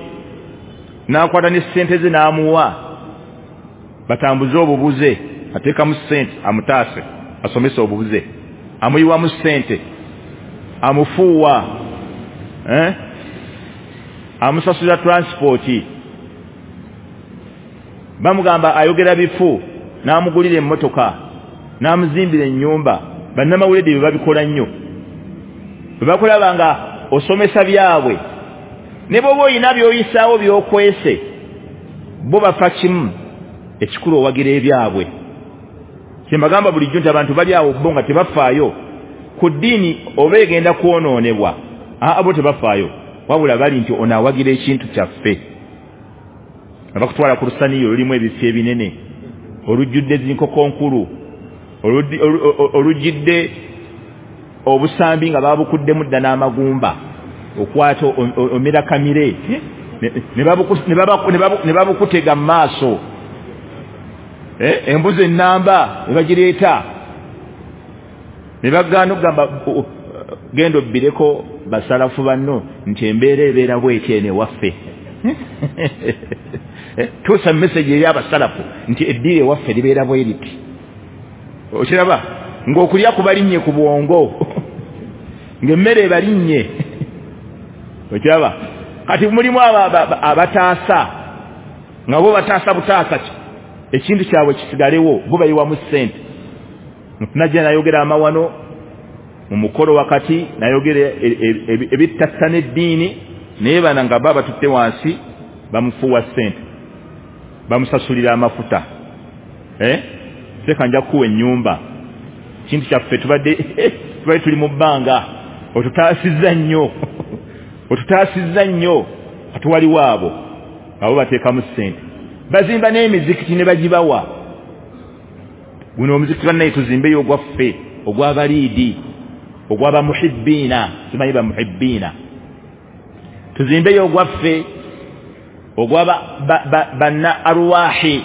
n'akwata ne ssente ze n'amuwa batambuze obubuze, ateekamu ssente amutaase asomese obubuze, amuyiwamu ssente, amufuuwa, eh? amusasulira transport. Bamugamba ayogera bifu, n'amugulira emmotoka, n'amuzimbira ennyumba. Bannamawulire bye babikola nnyo, bwe bakulaba nga osomesa byabwe, ne bw'oba oyina by'oyisaawo by'okwese, bo bafa kimu, ekikulu owagira ebyabwe. Kye mbagamba bulijjo nti abantu bali awo bo nga tebafaayo ku ddiini oba egenda kwonoonebwa, aa bo tebafaayo, wabula bali nti ono awagira ekintu kyaffe. Abakutwala ku lusaniyo olulimu ebifo ebinene, olujjudde zinkoko nkulu, olujjidde obusambi nga babukuddemu dda n'amagumba, okwata omira kamire ne babukutega mu maaso, embuzi ennamba ne bagireeta ne bagaana okugamba genda obbireko basalafu banno nti embeera ebeera bw'etyo eno ewaffe. Tuusa message eri abasalafu nti eddiiro ewaffe libeera bwe riti. Okiraba ng'okulya kubalinnye ku bwongo, ng'emmere ebalinnye. Okiraba kati mulimu abataasa nga bo bataasa butaasa ki ekintu kyabwe kisigalewo, bo bayiwamu ssente. Najja nayogera amawano mu mukolo wakati, nayogera ebittattana eddiini, naye bana nga baba batutte wansi bamufuuwa ssente, bamusasulira amafuta, eh? Seka nja kuwa ennyumba, kintu kyaffe tubadde tubadde tuli mu bbanga, otutaasizza nnyo, otutaasizza nnyo. Kati waliwo abo abo bateekamu ssente, bazimba n'emizikiti ne bagibawa. Guno omuzikiti bannaye tuzimbeyo ogwaffe, ogw'abaliidi, ogw'abamuhibbiina, simanyi bamuhibbiina, tuzimbeyo ogwaffe, ogwa banna arwahi,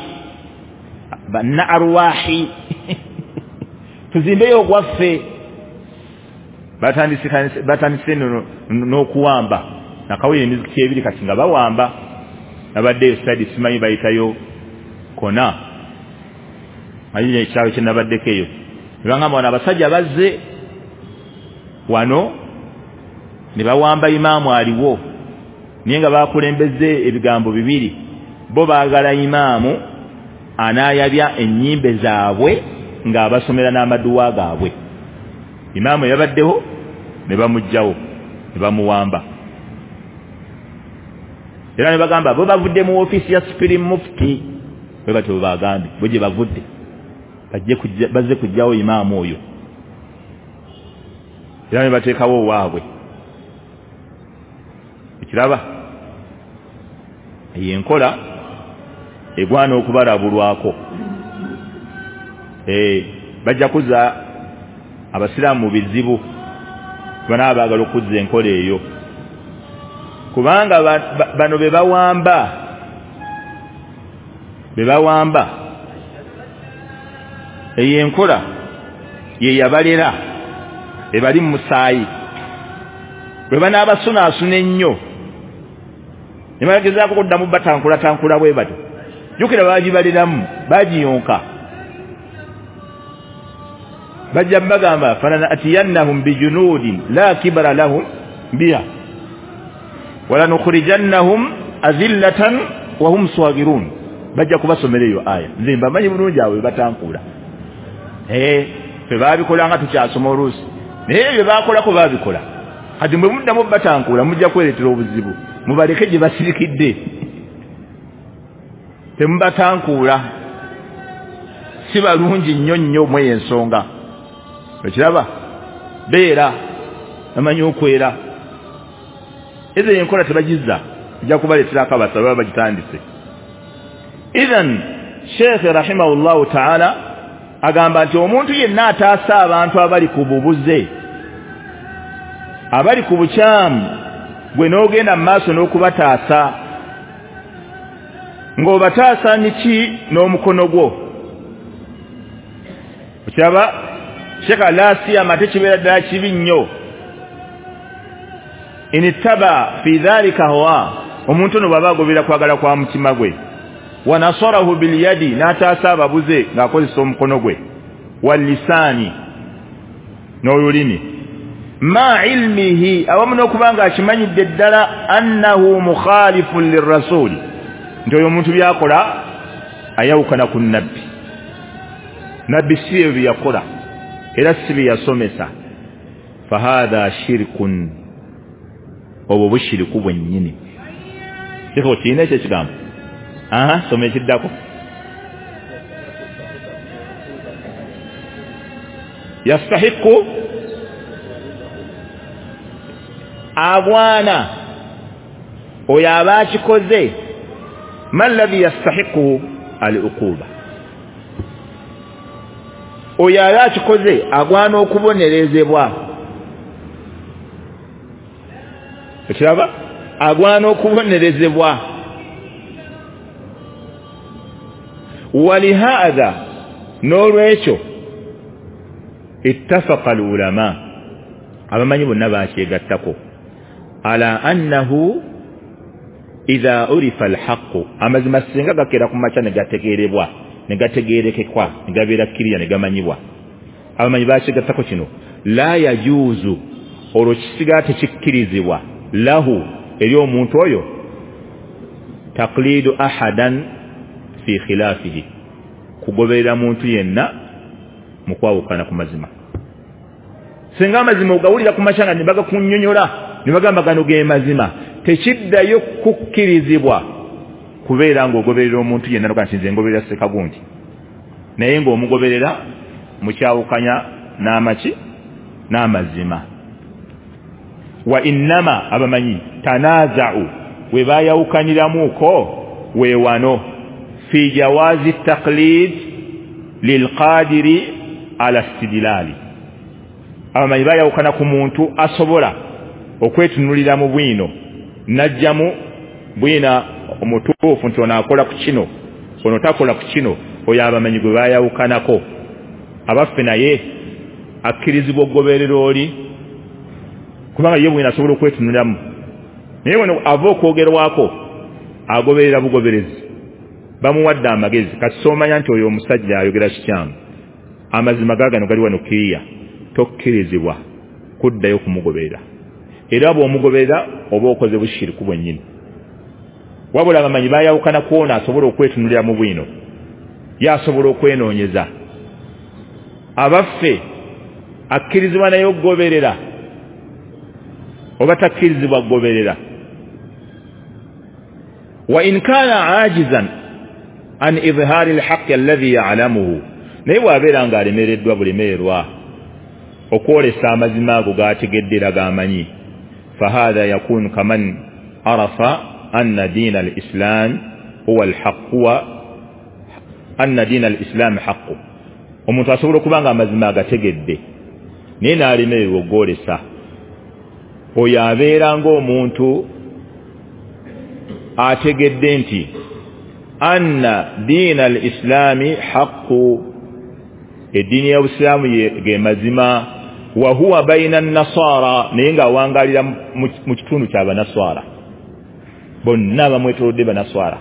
banna arwahi tuzimbeyo ogwaffe. Batandise n'okuwamba, nakawulira emizikiti ebiri kati nga bawamba. Nabaddeyo side simanyi bayitayo kona, manyi ekyalo kye nabaddeko eyo, ne bagamba wano abasajja bazze wano ne bawamba imaamu aliwo, naye nga bakulembeze ebigambo bibiri. Bo baagala imaamu anaayabya ennyimbe zaabwe ng'abasomera n'amaduwa gaabwe. Imaamu yabaddeho ne bamuggyawo ne bamuwamba. Era ne bagamba bo bavudde mu ofiisi ya Supreme Mufti, bwe batyo bagambye bo gye bavudde, bajje bazze kuggyawo imaamu oyo, era ne bateekawo owaabwe. Ekiraba eyo enkola egwana okubalabulwako. Eh, bajja kuzza abasiraamu mu bizibu banaaba baagala okuzza enkola eyo, kubanga bano be bawamba, be bawamba Eyo enkola ye yabalera ebali mu musaayi. Bwe banaabasunaasuna ennyo ne bagezaako kuddamu batankula-tankula bwe batyo, jjukira baagibaliramu, baagiyonka. Bajja bagamba falanatiyannahum bijunudin la kibara lahum biha walanukhrijannahum azillatan wa hum swagirun. Bajja kubasomera eyo aya. Nze mbamanyi bulungi awo batankula. Eh, ffe baabikola nga tukyasoma oluusi, naye ebyo baakolako baabikola. Kati mwe muddamu batankula mujja kwereetera obuzibu, mubaleke gye basirikidde, temubatankuula, si balungi nnyo nnyo mweyo ensonga. Okiraba beera bamanyi okwera. Ezo enkola tebagizza, ejja kubaleeterako abasaba baba bagitandise. Idhan Sheikh rahimahullahu ta'ala agamba nti omuntu yenna ataasa abantu abali ku bubuze, abali ku bukyamu, gwe n'ogenda mu maaso n'okubataasa, ng'obataasa niki? N'omukono gwo. Okiraba Sheikh la siyama tekibeera ddala kibi nnyo. Inittaba fi dhalika hawa, omuntu ono bw'aba agobera kwagala kwa mutima gwe, wa nasarahu bilyadi, n'ataasa ababuze ng'akozesa omukono gwe, wallisaani, n'olulimi, ma ilmihi, awamu n'okuba nga akimanyidde ddala annahu mukhalifun lirrasuli, nti oyo omuntu by'akola ayawukana ku nabbi. Nabbi si ebyo bye yakola era si bye yasomesa. Fahadha shirkun, obwo bushiriku bwennyini. Kiko kirina ekyo ekigambo? Aha, soma ekiddako. Yastahiqu, agwana oyo aba akikoze. Ma alladhi yastahiqu al-uquba, oyo aba akikoze agwana okubonerezebwa. Ekiraba agwana okubonerezebwa. Walihadha, n'olwekyo ittafaqa al-ulama, abamanyi bonna bakyegattako, ala annahu idha urifa al-haqqu, amazima singa gakera ku makya ne gategeerebwa, ne gategeerekekwa, ne gabeera kkiriya, ne gamanyibwa. Abamanyi bakyegattako kino, la yajuuzu, olwo kisigala tekikkirizibwa lahu, eri omuntu oyo, taqlidu ahadan fi khilafihi, kugoberera muntu yenna mu kwawukana ku mazima. Singa amazima ogawulira ku makya nga ne bagakunnyonnyola, ne bagamba gano ge mazima, tekiddayo kukkirizibwa kubeera ng'ogoberera omuntu yenna noga nti nze ngoberera Ssekagundi, naye ng'omugoberera mukyawukanya n'amaki n'amazima. Wa innama, abamanyi tanaaza'u, we baayawukaniramuko we wano fi jawazi taqlid lilqadiri ala istidlali. Abamanyi bayawukana ku muntu asobola okwetunulira mu bwino n'ajjamu bwina omutuufu nti ono akola ku kino, ono takola ku kino, oyo abamanyi gwe bayawukanako. Abaffe naye akkirizibwa okugoberera oli, kubanga ye bwino asobola okwetunuliramu, naye wano ava okwogerwako agoberera bugoberezi, bamuwadde amagezi. Kati soomanya nti oyo omusajja ayogera kikyamu, amazima gaagano gali wano kiriya, tokkirizibwa kuddayo kumugoberera. Era bw'omugoberera oba okoze bushiriku bwennyini. Wabula abamanyi bayawukana kwona asobola okwetunulira mu bwino, ye asobola okwenoonyeza. Abaffe akkirizibwa naye okugoberera oba takkirizibwa kugoberera? Wa in kana ajizan an idhhari alhaqqi alladhi ya'lamuhu, naye bw'abeera ng'alemereddwa bulemererwa okwolesa amazima ago g'ategedde era g'amanyi, fahadha yakunu kaman arafa anna diina al-islam huwa al-haqq, wa anna diina al-islam haqqu. Omuntu asobola okuba nga amazima agategedde naye n'alemererwa okwolesa, oyo abeera ng'omuntu ategedde nti anna diina al-islami haqqu, Eddiini y'obusiraamu ge mazima. Wa huwa baina an-nasara, naye ng'awangalira mu kitundu ky'abanaswara, bonna bamwetoolodde banaswara,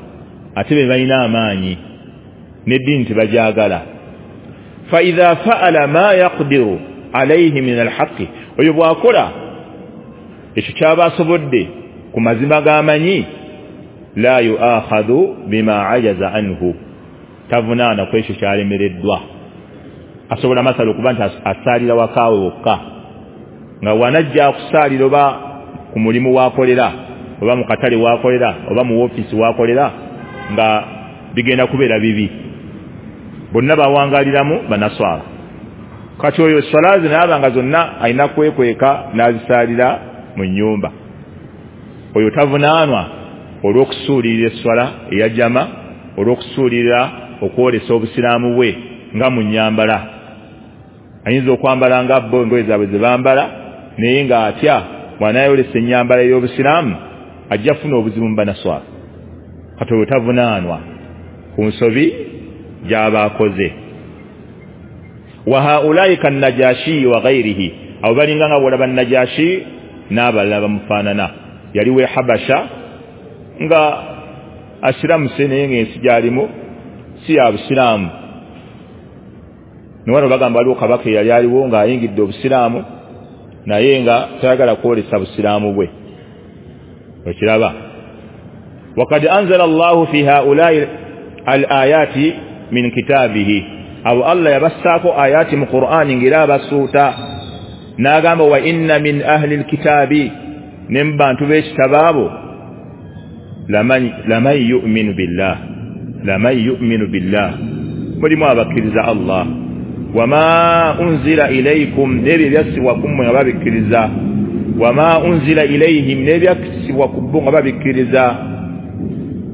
ate be balina amaanyi n'eddiini tebagyagala. Fa idha fa'ala ma yaqdiru alayhi min al-haqqi, oyo bw'akola ekyo ky'aba asobodde ku mazima g'amanyi, la yu'akhadhu bima ajaza anhu, tavunaana ku ekyo kyalemereddwa. Asobola masala okuba nti asaalira wakaawe wokka, nga wanajja okusaalira oba ku mulimu waakolera oba mu katale waakolera oba mu woofiisi waakolera, nga bigenda kubeera bibi, bonna bawangaliramu banaswala. Kati oyo swala ze naaba nga zonna alina kwekweka n'azisaalira mu nnyumba, oyo tavunaanwa olw'okusuulirira esswala eya jama, olw'okusuulirira okwolesa obusiraamu bwe nga mu nnyambala. Ayinza okwambala nga bo engoye zaabwe ze bambala, naye ng'atya bw'anaayolesa ennyambala ey'obusiraamu ajja kufuna obuzibu mu banaswala. Kati oyo tavunaanwa ku nsobi gy'aba akoze. Wa haulaika kannajashi wa ghairihi, abo balinga nga bw'olaba Najashi n'abalala bamufaanana. Yali we Habasha nga asiramuse, naye ng'ensi gy'alimu si ya busiraamu. Niwano bagamba waliwo kabaka eyali aliwo ng'ayingidde obusiraamu, naye nga tayagala kwolesa busiraamu bwe. Okiraba, wakad anzala Allahu fi haulai al-ayati min kitabihi, abo Allah yabassaako ayati mu Qur'ani ng'era abasuuta n'agamba wa inna min ahli al-kitabi, ne mu bantu b'ekitabo abo laman yu'minu billah, laman yu'minu billah, mulimu abakkiriza Allah, wama unzila ilaykum, n'ebyo ebyassibwa ku mmwe nga babikkiriza, wama unzila ilayhim, n'ebyassibwa ku bo nga babikkiriza.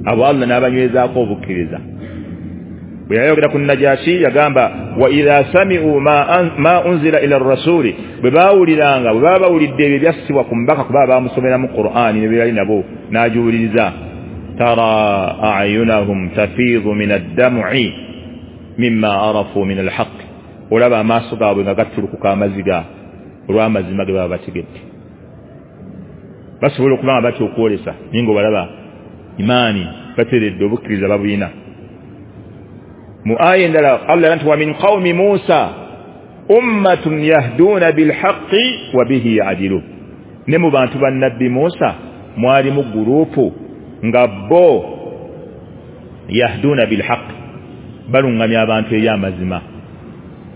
Abo Allah n'abanywezaako obukkiriza. Bwe yayogera ku Najashi yagamba wa idha sami'u ma, ma unzila ila rasuli, bwe baawuliranga, bwe baba bawulidde ebyo ebyassibwa ku mbaka, kuba baamusomera mu Qur'ani ne byali nabo n'agiwuliriza, tara a'yunahum tafiidhu min ad-dam'i mimma arafu min al-haqq, olaba amaaso gaabwe nga gattulukuka amaziga olw'amazima ge baba bategedde. Basobola okuba nga batya okwolesa, naye ng'obalaba imaani bateredde, obukkiriza babulina. Mu aya endala Allah nti wa min qawmi Musa ummatun yahduna bilhaqqi wa bihi ya'dilun, ne mu bantu ba Nabbi Musa mwalimu gurupu nga bo yahduna bilhaqqi, balungamya abantu eri amazima,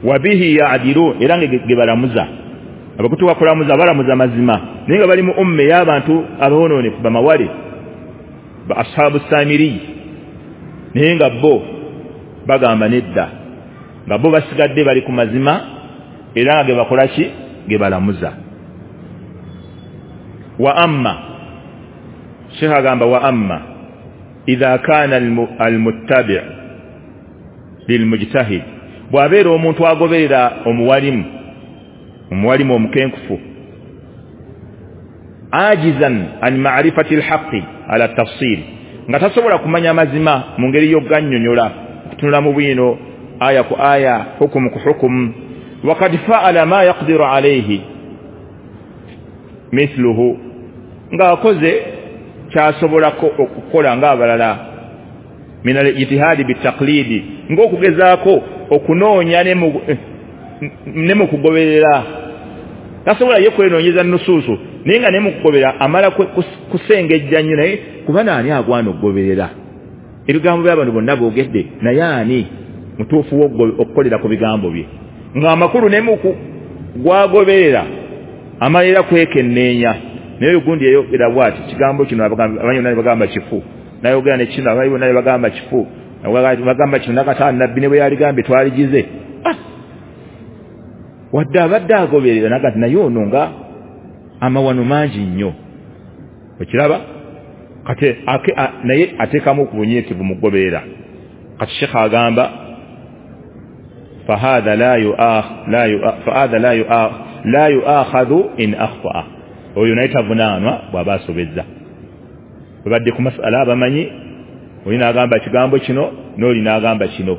wa bihi ya'dilun, era nga ge balamuza. Abakutuka kulamuza balamuza mazima, naye nga bali mu umme y'abantu aboononefu bamawale ba ashabu samiri, naye nga bo bagamba nedda, nga bo basigadde bali ku mazima, era nga ge bakola ki? Ge balamuza. Wa amma, Sheikh agamba wa amma idha kana almuttabi' lilmujtahid, bw'abeera omuntu agoberera omuwalimu, omuwalimu omukenkufu, ajizan an ma'rifati alhaqqi ala tafsil, nga tasobola kumanya mazima mu ngeri y'okugannyonnyola, okutunula mu bwino aya ku aya, hukumu ku hukumu, wakad fa'ala ma yaqdiru alayhi mithluhu, ng'akoze kyasobolako okukola ng'abalala, min al-ijtihadi bitaqlidi, ng'okugezaako okunoonya ne mu kugoberera. Tasobola ye kwenoonyeza nusuusu, naye nga ne mu kugoberera amala kusengejja nnyo, naye kuba naani agwana okugoberera ebigambo by'abantu bonna boogedde, naye ani mutuufu okukolera ku bigambo bye, ng'amakulu ne mu gwagoberera amala era kwekenneenya. Naye gundi yayogera bw'ati, kigambo kino abamanyi bonna ne bagamba kifu, n'ayogera ne kino abamanyi bonna ne bagamba kifu, bagamba kino nakata Nabbi ne bwe yaligambye twaligize. Ah, wadde abadde agoberera nagati naye ono nga amawano mangi nnyo. Okiraba kati naye ateekamu ku bunyiikivu mu kugoberera. Kati Sheikh agamba fahadha la yu'akh la yu'akh la yu'akhadhu in akhta'a, oyo naye tavunaanwa bw'aba asobezza. Babadde ku masala abamanyi, oli n'agamba kigambo kino n'oli n'agamba kino,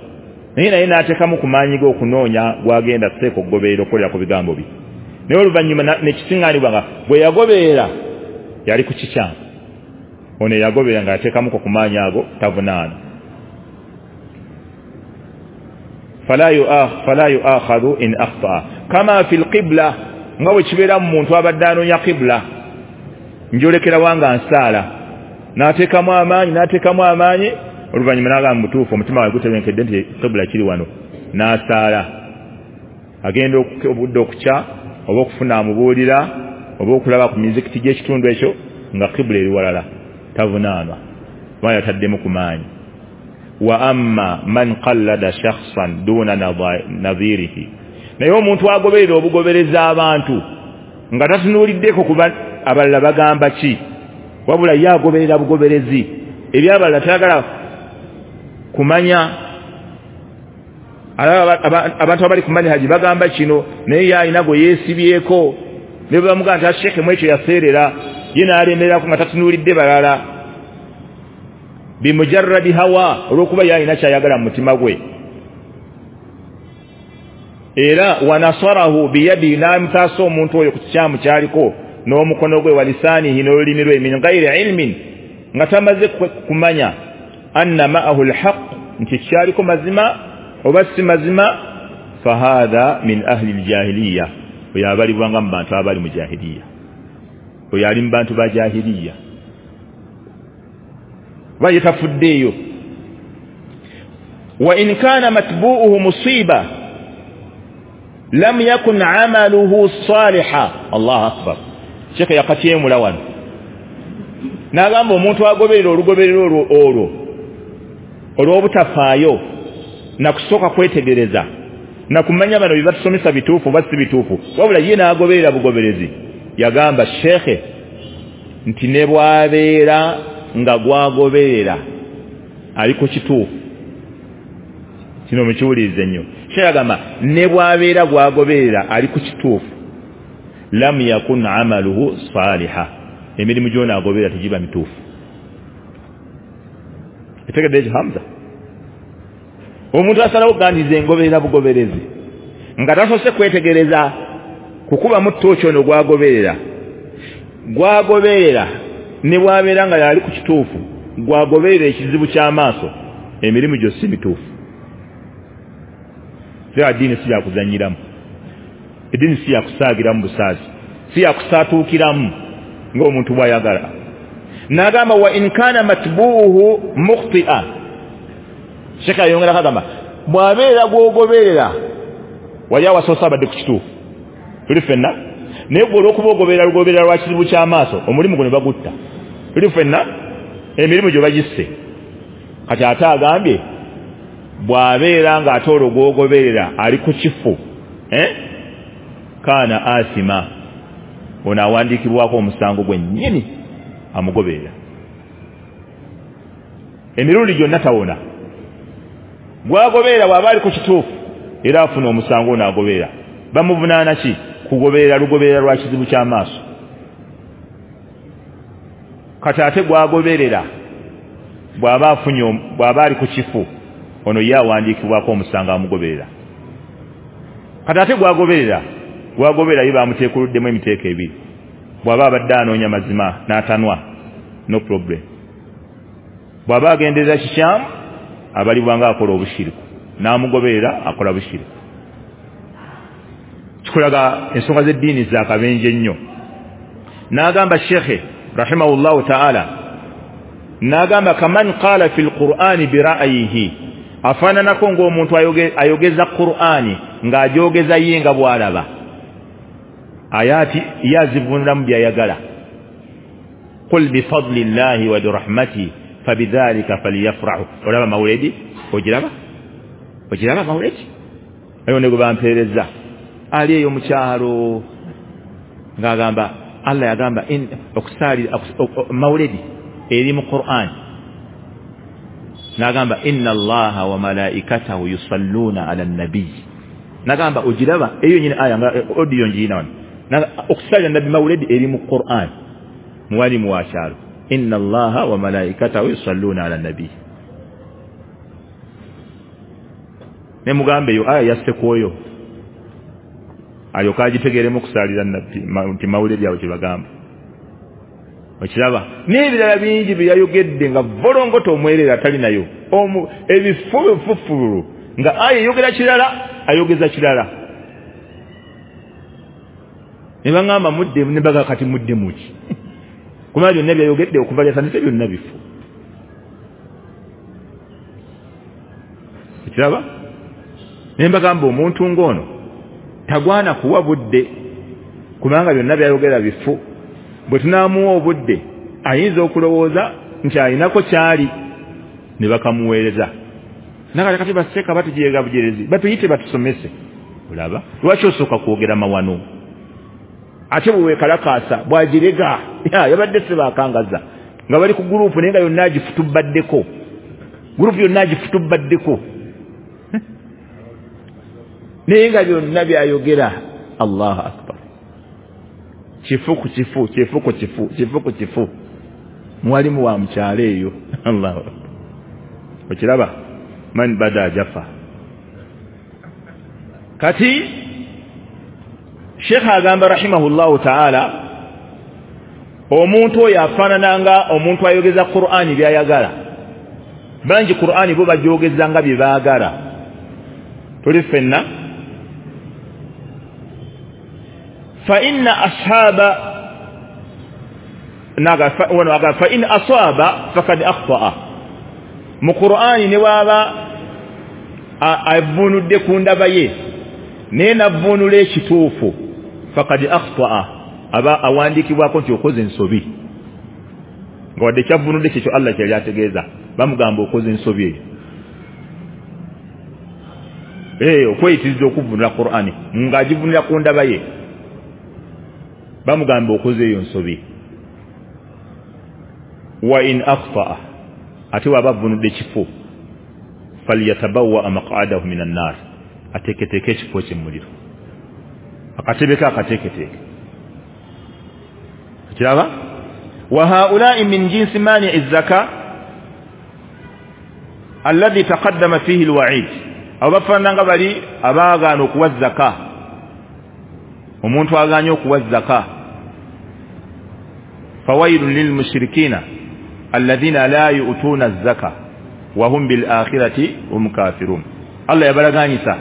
Naye naye n'ateekamu ku maanyi ge okunoonya gwagenda seeka okugoberera okukolera ku bigambo bye. Naye oluvannyuma nekisiŋŋaanibwa nga bwe yagoberera yali ku kikyamu. Ono yagoberera ng'ateekamuko ku maanyi ago tavunaana. Fala yuakhadhu in akhtaa kama fi lqibla, nga bwe kibeera mu muntu abadde anoonya qibla, njolekera wanga nsaala, n'ateekamu amaanyi n'ateekamu amaanyi, oluvannyuma n'agamba mutuufu omutima gwe gutebenkedde nti qibla kiri wano, n'asaala. Agenda obudde okukya oba okufuna amubuulira oba okulaba ku mizikiti gy'ekitundu ekyo nga qibla eri walala, tavunaanwa kubanga yataddemu ku maanyi. Wa amma man qallada shakhsan duna nadhirihi, naye omuntu agoberera obugobereza abantu nga tatunuuliddeko kuba abalala bagamba ki, wabula ye agoberera bugoberezi ebyabalala tayagala kumanya. Alaba abantu abali ku manhaji bagamba kino, naye ye alina gwe yeesibyeko, ne bwe bamugamba nti sheekhe mu ekyo yaseerera, ye n'alemererako nga tatunuulidde balala, bimujarradi hawa, olw'okuba ye alina ky'ayagala mu mutima gwe. Era wanasarahu biyadi, n'amutaasa omuntu oyo ku kikyamu ky'aliko n'omukono gwe, walisaanihi, n'olulimi lwe, min ghairi ilmin, nga tamaze kumanya anna ma'ahu lhaq, nti kyaliko mazima oba si mazima. Fahadha min ahli ljahiliya, oyo abalibwanga mu bantu abali mu jahiliya, oyo ali mu bantu ba jahiliya, oba ye tafuddeeyo. Wa in kana matbu'uhu musiba lam yakun amaluhu saliha. Allahu akbar. Sheikh yakatyemula wano n'agamba omuntu agoberera olugoberera olwo olwo olw'obutafaayo nakusooka kwetegereza nakumanya bano bye batusomesa bituufu oba si bituufu, wabula ye n'agoberera bugoberezi. Yagamba shekhe nti ne bw'abeera nga gwagoberera ali ku kituufu, kino mukiwulirize nnyo. Shekhe agamba ne bw'abeera gwagoberera ali ku kituufu, lam yakun amaluhu saliha, emirimu gyona agoberera tegiba mituufu. Etegedde ekyo Hamza? Omuntu asalawo kugandiza engoberera bugoberezi nga tasoose kwetegereza kukubamu ttooki ono gwagoberera gwagoberera ne bw'abeera nga yali ku kituufu, gwagoberera ekizibu ky'amaaso, emirimu gyo si mituufu. Era ddiini si yakuzannyiramu, eddiini si yakusaagiramu busaazi, si yakusaatuukiramu ng'omuntu bw'ayagala. N'agamba wa in kana matbuuhu mukhti'a, Sheikh ayongera kagamba bw'abeera gw'ogoberera wali awasoose abadde ku kituufu, tuli ffenna, naye gwe olw'okuba ogoberera lugoberera lwa kizibu ky'amaaso, omulimu gwo ne bagutta, tuli ffenna, emirimu gyo bagisse. Kati ate agambye bw'abeera ng'ate olwo gw'ogoberera ali ku kifu, eh? Kaana asima, ono awandiikibwako omusango gwennyini amugoberera emirundi gyonna tawona. Gwagoberera bw'aba ali ku kituufu era afuna omusango ono agoberera. Bamuvunaana ki? Kugoberera lugoberera lwa kizibu ky'amaaso. Kati ate gwagoberera bw'aba afunye bw'aba ali ku kifu, ono ye awandiikibwako omusango amugoberera. Kati ate gwagoberera gwagoberera ye bamuteekuluddemu emiteeko ebiri. Bw'aba abadde anoonya mazima n'atanwa, no problem. Bw'aba agenderera kikyamu, abalibwa nga akola obushiriku, n'amugoberera akola bushiriku. Kikulaga ensonga z'eddiini za kabenje nnyo. N'agamba shekhe rahimahullahu ta'ala, n'agamba kaman qala fi lqur'ani bira'yihi, afaananako ng'omuntu ayogeza Qur'ani ng'agyogeza ye nga bw'alaba, ayati ye azivunulamu by'ayagala. Qul bifadli llahi wa birahmatihi fabidhalika falyafrahu. Olaba mawuledi, ogiraba ogiraba mawuledi ayo ne gwe bampeereza ali eyo mu kyalo ng'agamba Allah yagamba okusaali mawuledi eri mu Qur'an, n'agamba inna Allaha wa malaikatahu yusalluna ala nabiy. N'agamba ogiraba eyo nyini aya nga audio ngiyina wano, okusalira nabbi mawuledi eri mu Qur'an, muwalimu wa kyalo, inna Allaha wa malaikatahu yusalluna ala nabiy. Ne mugambe eyo aya yasse kwoyo alyoka agitegeeremu okusaalira nabbi nti mawulire byabwe kye bagamba. Okiraba n'ebirala bingi bye yayogedde nga volongoto omwerere atali nayo ebifu bifufulu nga aya eyogera kirala ayogeza kirala. Ne baŋŋamba mudde ne baga kati mudde muki kuba byonna byayogedde okuva lyatandise byonna bifu. Okiraba ne mbagamba omuntu ng'ono tagwana kuwa budde kubanga byonna byayogera bifu. Bwe tunaamuwa obudde ayinza okulowooza nti alinako kyali ne bakamuweereza. Nakati kati baseka batujeega bujerezi batuyite batusomese. Olaba lwaki osooka kwogera mawano ate bwe weekalakaasa bw'agirega yabadde sebakangaza nga bali ku gurupu naye nga yonna agifutubaddeko gurupu yonna agifutubaddeko naye nga byonna byayogera. Allahu akbar. Kifu ku kifu kifu ku kifu kifu ku kifu mwalimu wa mukyalo eyo. Allahu akbar. Okiraba man bada jafa. Kati Sheikh agamba rahimahullahu ta'ala omuntu oyo afaanana omuntu ayogeza Qur'ani byayagala. Bangi Qur'ani bo bagyogeza nga bye baagala. Tuli ffenna fa inna ashaba naga fa wana fa in asaba faqad akhta'a. Mu Qur'ani ne waba avunudde ku ndaba ye naye navunula ekituufu faqad akhta'a aba awandikibwako nti okoze ensobi nga wadde kyavunudde kyekyo Allah kyeyali ategeeza bamugamba okoze ensobi eyo. Eh okweyitiriza okuvunula Qur'ani ng'agivunula ku ndaba ye bamugamba okoze eyo nsobi. Wa in akhta'a ate waba avunudde kifo falyatabawa maq'adahu minan nar ateeketeeke ekifo kye mu muliro akatebe ke akateeketeeke. Kiraba wa haula'i min jinsi mani'i zaka alladhi taqaddama fihi alwa'id. Abo bafaanana nga bali abaagaana okuwa zaka. Omuntu agaanye okuwa zaka fawailun lilmushrikina alladhina la yu'tuna zaka wa hum bil akhirati hum kafirun. Allah yabalaganyisa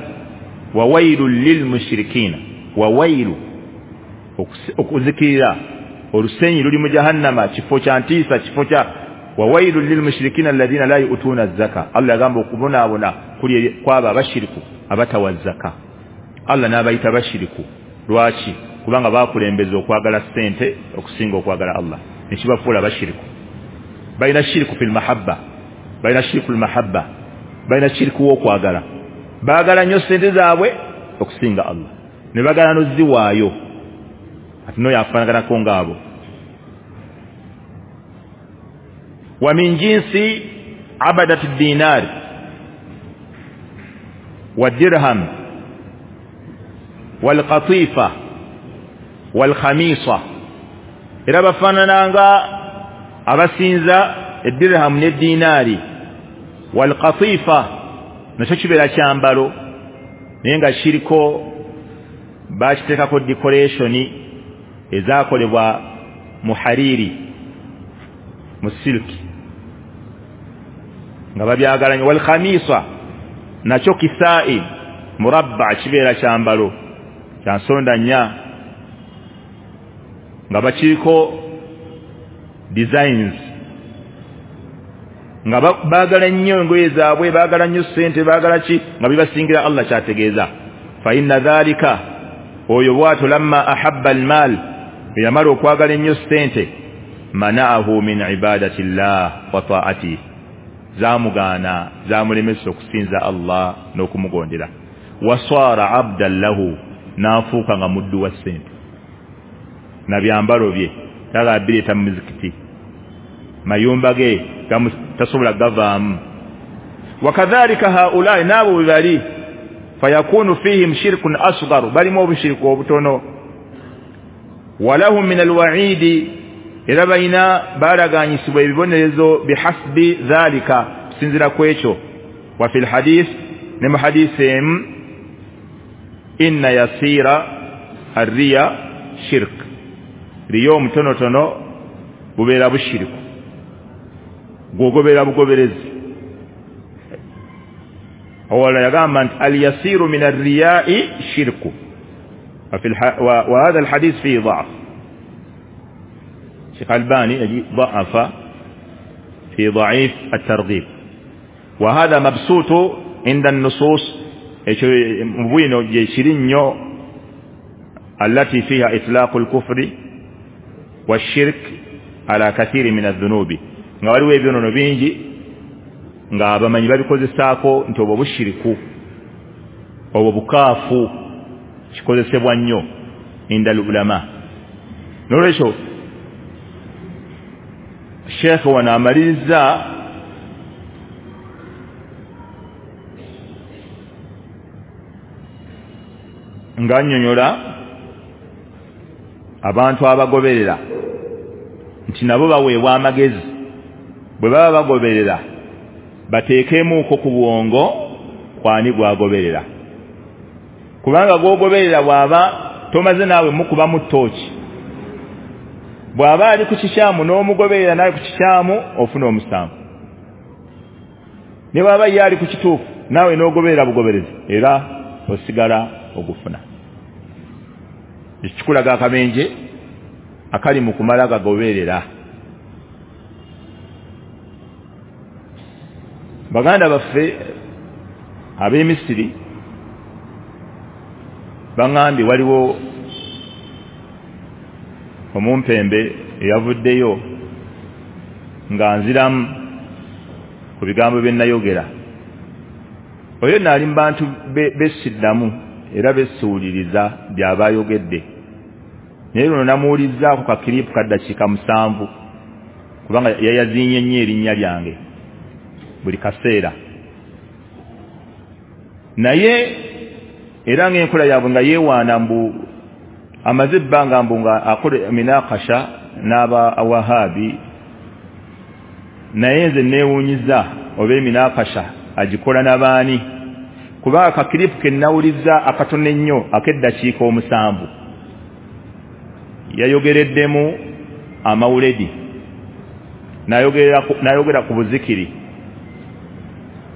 wawailun lilmushrikina wawailu okuzikirira olusenyi luli mu jahannama kifo kya ntiisa kifo kya wawailun lilmushrikina alladhina la yu'tuna zaka. Allah yagamba okubonaabona kuli kwaba abashiriku abatawa zaka. Allah n'abayita bashiriku lwaki? Kubanga bakulembeza okwagala ssente okusinga okwagala Allah nekibafuula bashiriku. Balina shiriku fil mahabba balina shiriku mahabba balina shiriku w'okwagala baagala nnyo ssente zaabwe okusinga Allah ne bagala n'oziwaayo. Ati n'oyo afaanaganako ng'abo. Wa min jinsi abadati dinari wa dirham wal qatifa wal khamisa. Era bafaanananga abasinza edirhamu n'edinaari wal qatifa nakyo kibeera kyambalo naye nga kiriko bakiteekako decoration ezaakolebwa mu hariri mu silki nga babyagala nnyo. Wal khamisa nakyo kisaa'i murabba kibeera kyambalo kya nsonda nnya nga bakiriko designs nga baagala nnyo engoye zaabwe baagala nnyo ssente baagala ki nga bibasingira Allah kyategeeza. Fa inna dhalika oyo bw'atyo lamma ahabba almaal yamala okwagala ennyo ssente mana'ahu min ibadati llah wa ta'atihi zamugaana zamulemesa okusinza Allah n'okumugondera. Waswara abdan lahu n'afuuka nga muddu wa ssente na byambalo bye tala bireeta mu muzikiti mayumba ge tasobola gavaamu. Wakadhalika haulai n'abo bwe bali fayakunu fihim shirkun asghar balimu obushiriku obutono. Walahum min alwa'idi era balina balaganyisibwa ebibonerezo bihasbi dhalika kusinziira ku ekyo. Wa fil hadith Ne mu hadisi emu, inna yasira arriya shirk, riya omutonotono bubeera bushiriku, gwogobera bugoberezi. Awala yagamba nti al yasiru min arriyai shirku, wa hadha alhadith fihi dha'f. Sheikh Albani ضعف في ضعيف الترغيب، وهذا مبسوط عند النصوص مبين جيشرين التي فيها إطلاق الكفر والشرك على كثير من الذنوب. Nga waliwo ebyonono bingi nga abamanyi babikozesaako nti obwo bushiriku, obwo bukaafu, kikozesebwa nnyo inda ulama. Nolwekyo Sheikh wano amaliriza ng'annyonnyola abantu abagoberera nti nabo baweebwa amagezi, bwe baba bagoberera bateekemuuko ku bwongo kwani gwagoberera, kubanga gwogoberera bw'aba tomaze naawe mukubamu ttooki, bw'aba ali ku kikyamu n'omugoberera nawe ku kikyamu ofuna omusango, ne bw'aba ye ali ku kituufu naawe n'ogoberera bugoberezi era osigala ogufuna. Ekikulaga akabenje akali mu kumala gagoberera. Baganda baffe ab'e Misiri baŋŋambye waliwo omumpembe eyavuddeyo nga nziramu ku bigambo bye nayogera. Oyo nno ali mu bantu bessiddamu era bessuuliriza by'aba ayogedde, naye luno namuwulizzaako kakiripu ka ddakiika musanvu kubanga yayaziinye nnyo erinnya lyange buli kaseera. Naye era ng'enkola yaabwe nga yeewaana mbu amaze ebbanga mbu nga akola minakasha n'aba Wahabi, naye nze neewuunyiza oba eminakasha agikola n'abaani, kuba akakiripu ke nnawulizza akatono ennyo ak'eddakiika omusanvu yayogereddemu amawuledi, n'ayogera ku buzikiri,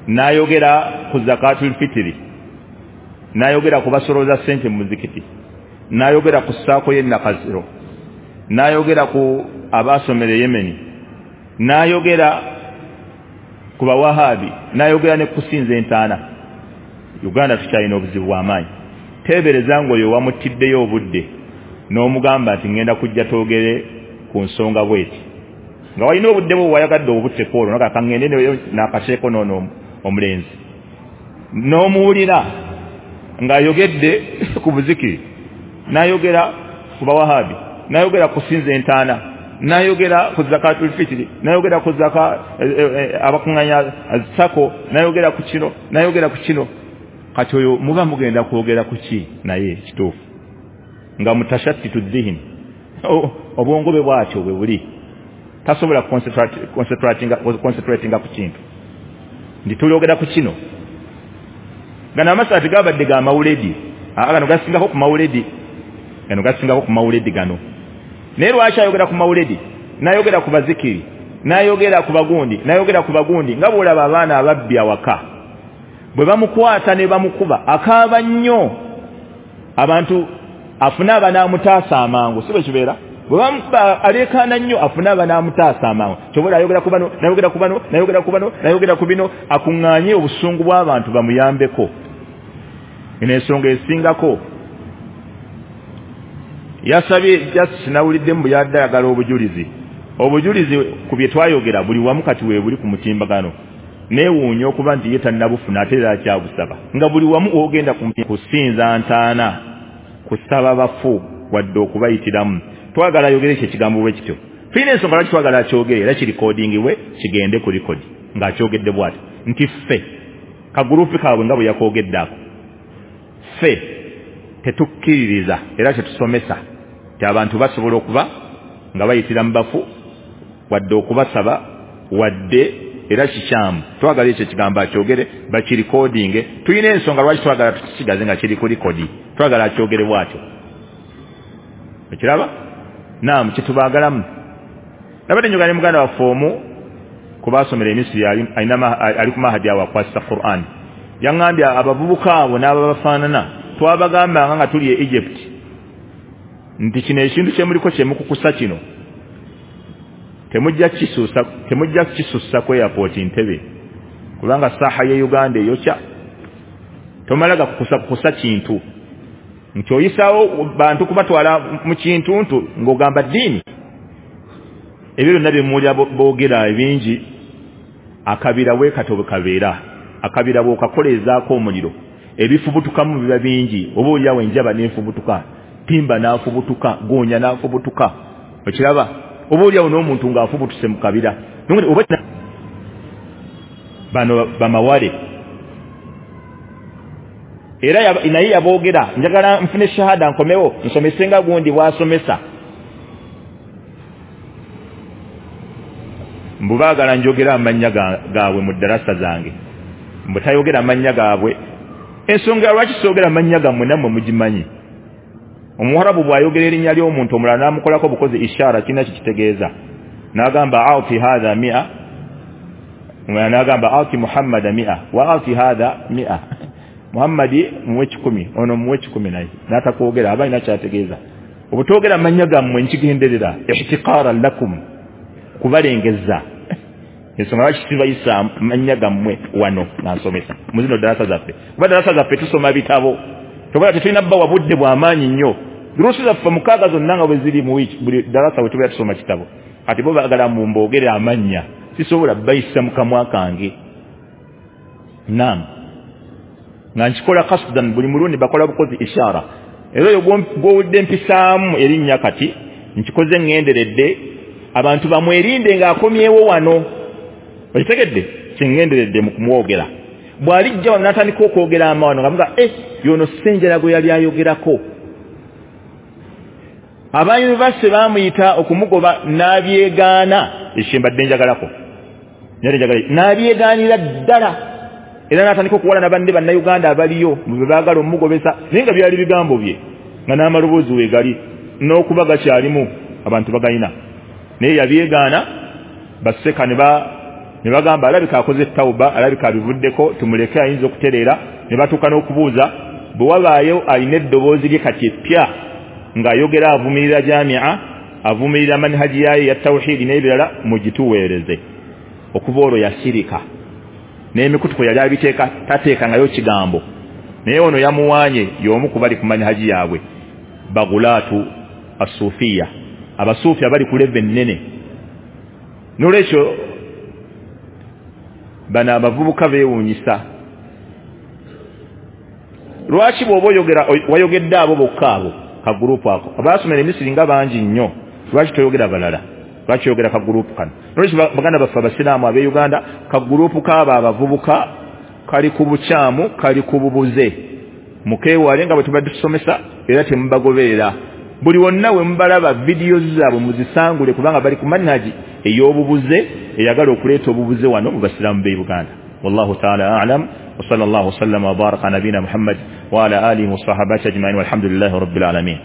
n'ayogera ku zakatul fitiri, n'ayogera ku basolooza ssente mu muzikiti, n'ayogera ku ssaako y'e Nakaziro, n'ayogera ku abaasomera e Yemeni, n'ayogera ku Bawahabi, n'ayogera ne kusinza entaana. Uganda tukyalina obuzibu bw'amaanyi. Teebereza ng'oyo wamuttiddeyo obudde n'omugamba nti ŋŋenda kujja twogere ku nsonga bw'eti, nga walina obudde bwo wayagadde obutteko olwo naga kaŋŋende n'akaseeko n'ono omulenzi, n'omuwulira ng'ayogedde ku buzikiri, n'ayogera ku Bawahabi, n'ayogera ku sinza entaana, n'ayogera ku zakatul fitiri, n'ayogera ku zaka abakuŋŋanya sako, n'ayogera ku kino, n'ayogera ku kino. Kati oyo muba mugenda kwogera ku ki? Naye kituufu nga mutashattitu dhihni, obwongo bwe bwatyo bwe buli, tasobola concentratinga ku kintu nti tulyogera ku kino. Gano amasaati gabadde ga mawuledi, gano gasingako ku mawuledi, gano gasingako ku mawuledi gano. Naye lwaki ayogera ku mawuledi, n'ayogera ku bazikiri, n'ayogera ku bagundi, n'ayogera ku bagundi, nga bw'olaba abaana ababbi awaka bwe bamukwata ne bamukuba akaaba nnyo, abantu afune abanaamutaasa amangu, si bwe kibeera? Bwe bamukuba aleekaana nnyo, afune abanaamutaasa amangu. Kyobola ayogera ku bano, n'ayogera ku bano, n'ayogera ku bano, n'ayogera ku bino, akuŋŋaanye obusungu bw'abantu bamuyambeko. Eno ensonga esingako yasabye just nawuliddemu bwe yadde ayagala obujulizi. Obujulizi ku bye twayogera buli wamu kati weebuli ku mutimbagano. Neewuunya okuba nti ye tannabufuna ate era akyabusaba, nga buli wamu ogenda kusinza ntaana, kusaba bafu wadde okubayitiramu. Twagala ayogere ekyo ekigambo bwe kityo. Tulina ensonga lwaki twagala akyogere era kirikodingibwe kigende ku likodi ng'akyogedde bw'ati nti ffe kagurupu kaabwe nga bwe yakoogedde ako, ffe tetukkiririza era tetusomesa nti abantu basobola okuba nga bayitira mu bafu wadde okubasaba wadde era kikyamu. Twagala ekyo ekigambo akyogere, bakirikodinge. Tulina ensonga lwaki twagala tukisigaze nga kiri ku likodi, twagala akyogere bw'atyo. Okiraba? Naamu, kyetubaagalamu. Nabadde njogera ne muganda waffe omu ku baasomera e Misiri, ali ku mahadi awo akwasisa Qur'an. Yaŋŋambye abavubuka abo n'ababafaanana twabagambanga nga tuli e Egypt nti kino ekintu kye muliko kye mukukusa kino temujja kukisusa, temujja kukisusa ku airport Entebbe, kubanga saaha ye Uganda eyokya. Tomala gakukusa kukusa kintu nti oyisaawo bantu kubatwala mu kintuntu ng'ogamba ddiini. Ebyo byonna bye muwulira boogera ebingi, akabira we katobe kabeera, akabira bw'okakolezaako omuliro ebifubutukamu biba bingi. Oba oliawo enjaba n'efubutuka, timba n'afubutuka, goonya n'afubutuka. Okiraba? Oba oliawo n'omuntu ng'afubutuse mu kabira. Oba bano bamawale era naye yaboogera, njagala nfune shahada nkomewo nsomese nga gundi bw'asomesa. Mbu baagala njogera amannya gaabwe mu ddarasa zange, mbu tayogera amannya gaabwe. Ensonga lwaki soogera amannya gammwe nammwe mugimanyi. Omuwarabu bw'ayogera erinnya ly'omuntu omulala n'amukolako bukozi ishara, kirina kikitegeeza. N'agamba ati hadha mia, omulala n'agamba ati Muhammada mia wa ati hadha mia. Muhammadi muwe kikumi, ono muwe kikumi naye n'atakwogera, aba alina ky'ategeeza. Obutoogera amannya gammwe nkigenderera ihtiqaaran lakum, kubalengeza. Ensonga lwaki sibayisa amannya gammwe wano nga nsomesa mu zino darasa zaffe, kuba darasa zaffe tusoma bitabo, tobola tetulina bbawa budde bw'amaanyi nnyo. Durusi zaffe mukaaga zonna nga bwe ziri mu wiiki, buli darasa we tubeera tusoma kitabo. Kati bo baagala mumboogere amannya, sisobola bayisa mu kamwa kange. Naam, nga nkikola kasdan, buli mulundi bakola bukozi ishara. Era oyo gw'owulidde mpisaamu erinnya kati nkikoze ŋŋenderedde abantu bamwerinde ng'akomyewo wano. Okitegedde? Kye ŋŋenderedde mu kumwogera. Bw'alijja wano n'atandika okwogera amawano nga muga eh yono Ssenjala gwe yali ayogerako. Aba yunivasite baamuyita okumugoba n'abyegaana. Ekyo mbadde njagalako, n'abyegaanira ddala. Era n'atandika okuwalana banne bannayuganda abaliyo bwe baagala omugobesa, naye nga byali bigambo bye nga n'amaloboozi we gali n'okuba gakyalimu abantu bagayina. Naye yabyegaana, baseka ne ne bagamba alabika akoze tawuba, alabika abivuddeko, tumuleke ayinza okutereera. Ne batuuka n'okubuuza bwe wabaayo alina eddoboozi lye kati eppya ng'ayogera avumirira jamia, avumirira manhaji yayo ya tawhidi n'ebirala, mugituweereze. Okuva olwo yasirika n'emikutu kwe yali abiteeka tateekangayo kigambo. Naye ono yamuwaanye y'omu ku bali ku manhaji yaabwe, bagulaatu asuufiya, abasuufi abali ku leve ennene. N'olwekyo bano abavubuka beewuunyisa. Lwaki bw'oba oyogera wayogedde abo bokka abo kagurupu ako abaasomera emisiri nga bangi nnyo, lwaki toyogera balala? Lwaki oyogera kagurupu kano? Nolwekyo baganda baffe abasiraamu ab'e Uganda, kagurupu kaabo abavubuka kali ku bukyamu, kali ku bubuze. Mukeewale nga bwe tubadde tusomesa, era temubagoberera. Buli wonna we mubalaba vidiyo zaabwe muzisangule, kubanga bali ku manhaji ey'obubuze eyagala okuleeta obubuze wano mu basiraamu b'e Uganda. Wallahu ta'ala a'lam, wa sallallahu sallama wa baraka nabina Muhammad wa ala alihi wa sahabati ajma'in, walhamdulillahi rabbil alamin.